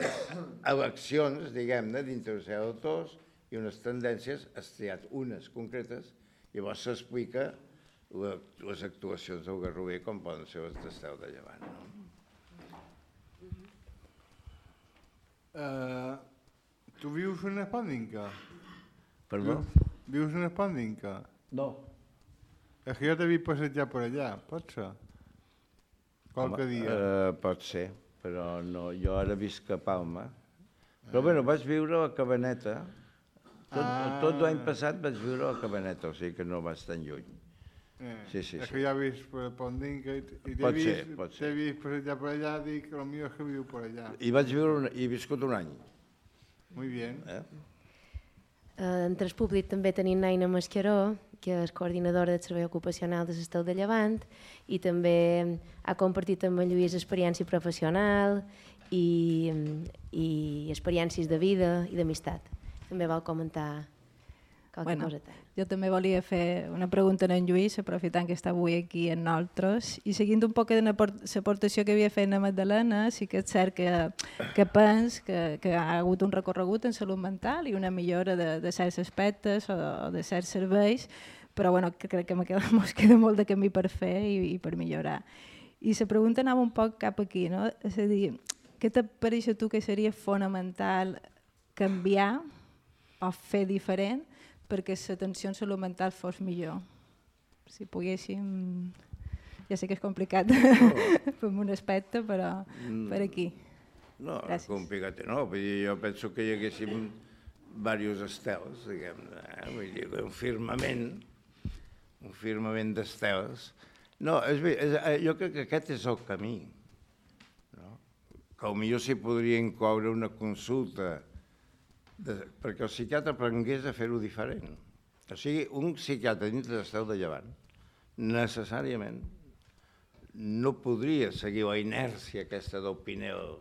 [SPEAKER 6] eleccions, diguem-ne, dintre dels autors i unes tendències, has triat unes concretes i llavors s'explica les actuacions del Garrover com poden ser les d'Estel de Llevant.
[SPEAKER 7] Uh, tu vius en Espandinca?
[SPEAKER 6] Perdó?
[SPEAKER 7] Vius en Espandinca?
[SPEAKER 6] No.
[SPEAKER 7] És que jo t'he vist passejar per allà, pot ser? Qualque
[SPEAKER 6] Home,
[SPEAKER 7] dia.
[SPEAKER 6] Uh, pot ser, però no, jo ara visc a Palma. Però bueno, vaig viure a la Cabaneta. Tot,
[SPEAKER 7] Ah.
[SPEAKER 6] tot l'any passat vaig viure a la Cabaneta, o sigui que no vaig tan lluny.
[SPEAKER 7] Eh,
[SPEAKER 6] Sí, sí,
[SPEAKER 7] és
[SPEAKER 6] sí.
[SPEAKER 7] que ja he vist per Espandinca i i t'he
[SPEAKER 6] Pot
[SPEAKER 7] vist,
[SPEAKER 6] ser, pot ser.
[SPEAKER 7] t'he vist passejar per allà, dic, el millor és que viu per allà.
[SPEAKER 6] I vaig viure, un, i he viscut un any.
[SPEAKER 7] Muy bien.
[SPEAKER 6] Eh?
[SPEAKER 5] Eh, en Transpúblic també tenim Naina Mascaró, que és coordinadora del Servei Ocupacional de l'Estel de Llevant, i també ha compartit amb en Lluís experiència professional i, i experiències de vida i d'amistat. També vol comentar qualque
[SPEAKER 13] Bueno,
[SPEAKER 5] coseta.
[SPEAKER 13] jo també volia fer una pregunta a en Lluís, aprofitant que està avui aquí amb nosaltres, i seguint un poc l'aportació que havia fet la Magdalena, sí que és cert que, que pens que, que ha hagut un recorregut en salut mental i una millora de, de certs aspectes o de, o de certs serveis, però bueno, que crec que me queda, mos queda molt de camí per fer i, i per millorar. I la pregunta anava un poc cap aquí, no? És a dir, què t'apareix a tu que seria fonamental canviar o fer diferent perquè l'atenció en salut mental fos millor? Si poguéssim... Ja sé que és complicat per un aspecte, però per aquí.
[SPEAKER 6] No,
[SPEAKER 13] Gràcies.
[SPEAKER 6] complicat no, vull dir, jo penso que hi haguéssim diversos estels, diguem-ne, eh? Vull dir, un firmament, un firmament d'estels. No, és, bé, és, jo crec que aquest és el camí, no? Que potser s'hi podria incloure una consulta de, perquè el psiquiatre aprengués a fer-ho diferent. O sigui, un psiquiatre dins de l'Estel de Llevant necessàriament no podria seguir la inèrcia aquesta del Pinel,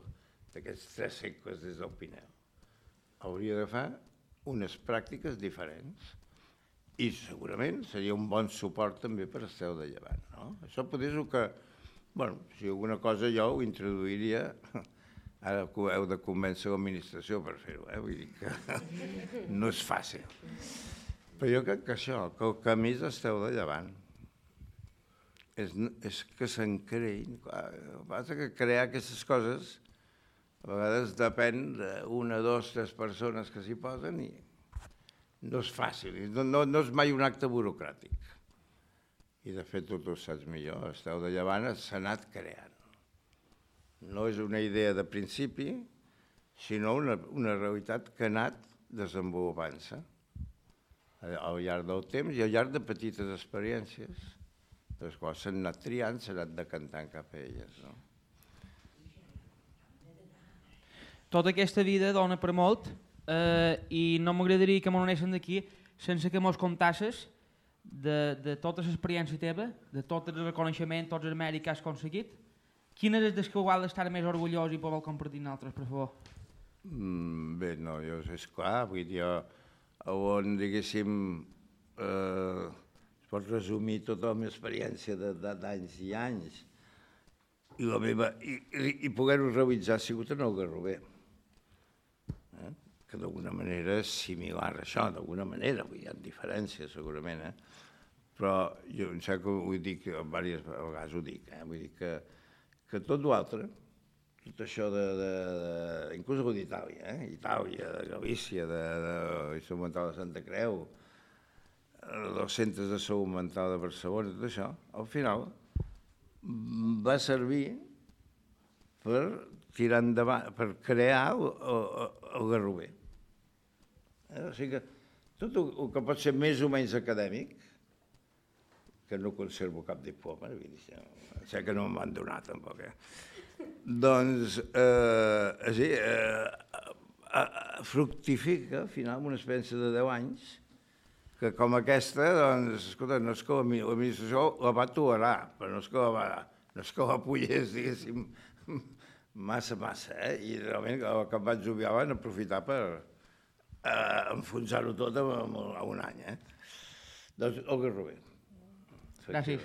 [SPEAKER 6] d'aquests tres segles des del Pinel. Hauria de fer unes pràctiques diferents i segurament seria un bon suport també per Estel de Llevant. No? Això potser és el que, bueno, si alguna cosa jo ho introduiria. Ara que heu de convèncer l'administració per fer-ho, eh? Vull dir que no és fàcil. Però jo crec que això, que el camí és Estel de Llevant. És, és que se'n creïn. El que passa que crear aquestes coses a vegades depèn d'una, dos, tres persones que s'hi posen i no és fàcil, no, no, no és mai un acte burocràtic. I de fet tu ho saps millor, Estel de Llevant s'ha anat creant. No és una idea de principi, sinó una, una realitat que ha anat desenvolupant-se al llarg del temps i al llarg de petites experiències, de les quals s'han anat triant, s'han anat decantant cap a elles. No?
[SPEAKER 3] Tota aquesta vida dona per molt eh, i no m'agradaria que m'anessin d'aquí sense que mos contasses de, de tota l'experiència teva, de tot el reconeixement, tots els mèrits que has aconseguit. Quin és el que igual d'estar més orgullós i poder compartir amb altres, per favor?
[SPEAKER 6] Mm, bé, no, jo, és clar, vull dir, on, diguéssim, eh, es pot resumir tota la meva experiència d'anys i anys i, la meva, i, i, i poder-ho realitzar ha sigut en el Garrover, eh? Que d'alguna manera és similar a això, d'alguna manera, vull dir, hi ha diferències segurament, eh? Però jo em sembla que ho dic, diverses vegades ho dic, eh? Vull dir que que tot l'altre, tot això de, de, de inclús d'Itàlia, eh? Itàlia, de Galícia, de, de l'Instrumental de Santa Creu, dels centres de salut mental de Barcelona, tot això, al final va servir per tirar endavant, per crear el, el, el Garrover. O sigui que tot el que pot ser més o menys acadèmic, que no conservo cap diploma, sé que no m'han donat tampoc, eh? Doncs, eh, sí, eh, fructifica, al final, amb una experiència de deu anys, que com aquesta, doncs, escolta, no és que l'administració la va tolerar, però no és que la, va, no és que la pollés, diguéssim, massa, massa, eh? I realment el que em vaig jubilar van aprofitar per eh, enfonsar-ho tot en, en un any, eh? Doncs, el Garrover.
[SPEAKER 3] Gràcies.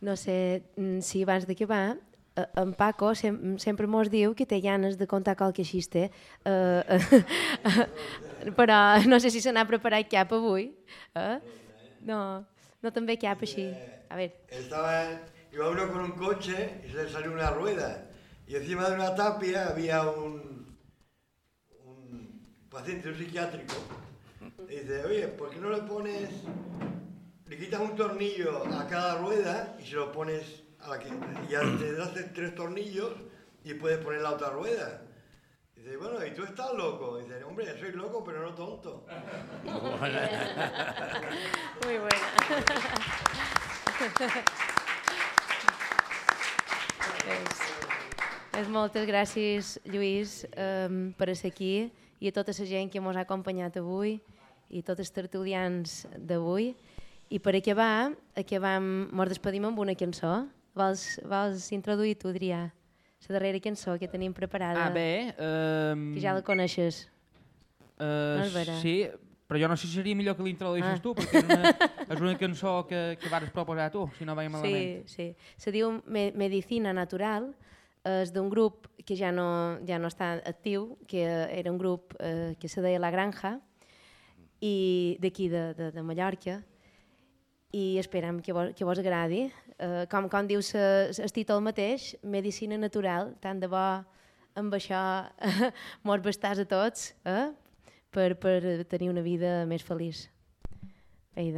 [SPEAKER 5] No sé si abans d'acabar, en Paco sem sempre mos diu que té ganes de contar qualque xiste, uh, però no sé si se n'ha preparat cap avui. Eh? No, no te'n ve cap així. A ver.
[SPEAKER 2] Estaba, iba uno con un coche y se le salió una rueda y encima de una tapia había un, un paciente un psiquiátrico. Y dice, oye, ¿por qué no le pones, le quitas un tornillo a cada rueda y se lo pones a la que ya te das tres tornillos y puedes poner la otra rueda? Dice, bueno, ¿y tú estás loco? Dice, hombre, soy loco, pero no tonto.
[SPEAKER 5] Muy buena. pues, pues moltes gràcies, Lluís, um, per ser aquí i a tota la gent que ens ha acompanyat avui i tots els tertulians d'avui. I per acabar, acabam, ens despedim amb una cançó. Vols, vols introduir tu, Adrià, la darrera cançó que tenim preparada?
[SPEAKER 3] Ah, bé. Um...
[SPEAKER 5] Que ja la coneixes.
[SPEAKER 3] Uh,
[SPEAKER 5] no és vera?
[SPEAKER 3] Sí, però jo no sé si seria millor que l'introduïssis
[SPEAKER 5] ah.
[SPEAKER 3] tu, perquè és una, és una cançó que, que vas proposar tu, si no vaig malament.
[SPEAKER 5] Sí, sí. Se diu Me Medicina Natural, és d'un grup que ja no, ja no està actiu, que era un grup eh, que se deia La Granja, i d'aquí de, de, de Mallorca, i esperem que vos, que vos agradi. Uh, com, com diu el títol mateix, Medicina Natural, tant de bo amb això mos bastàs a tots, eh? per, per tenir una vida més feliç. Bé,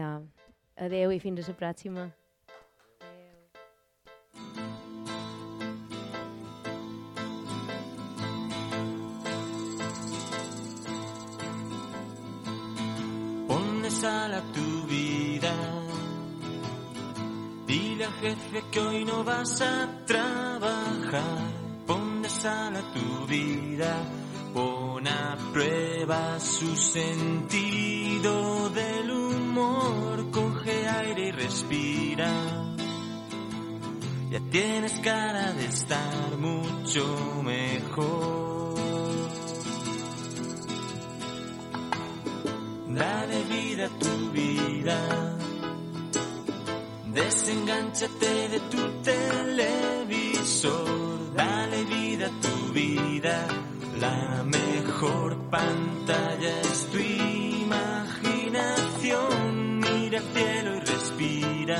[SPEAKER 5] adeu i fins a la pròxima.
[SPEAKER 14] Ponle sal a tu vida. Dile al jefe que hoy no vas a trabajar. Ponle sal a tu vida. Pon a prueba su sentido del humor. Coge aire y respira. Ya tienes cara de estar mucho mejor. Dale vida a tu vida. Desengánchate de tu televisor, dale vida a tu vida. La mejor pantalla es tu imaginación. Mira al cielo y respira.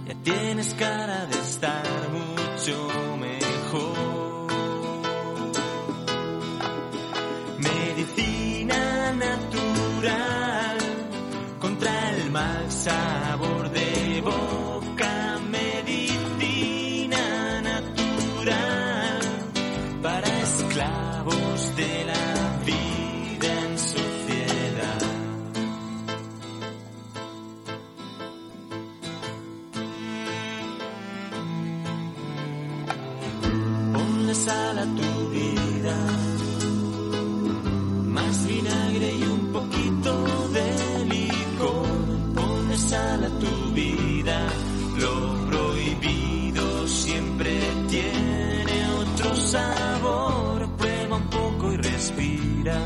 [SPEAKER 14] Ya tienes cara de estar mucho mejor. Medicina natural contra el mal sabor de boca, medicina natural para esclavos de la vida en sociedad. Ponle sal a tu vida, más vinagre y un poquito de licor. Ponle sal a tu vida, lo prohibido siempre tiene otro sabor. Prueba un poco y respira.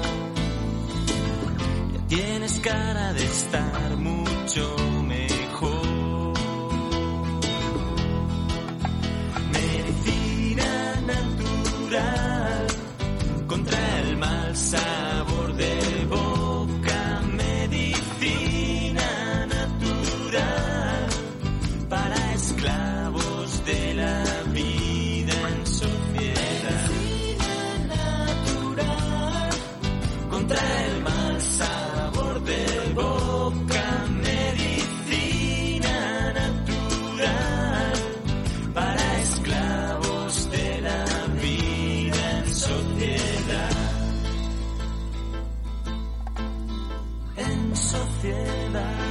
[SPEAKER 14] Ya tienes cara de estar mucho mejor. Medicina natural contra el mal sabor de boca, medicina natural para esclavos de la vida en sociedad. Medicina natural contra el mal sabor sociedad.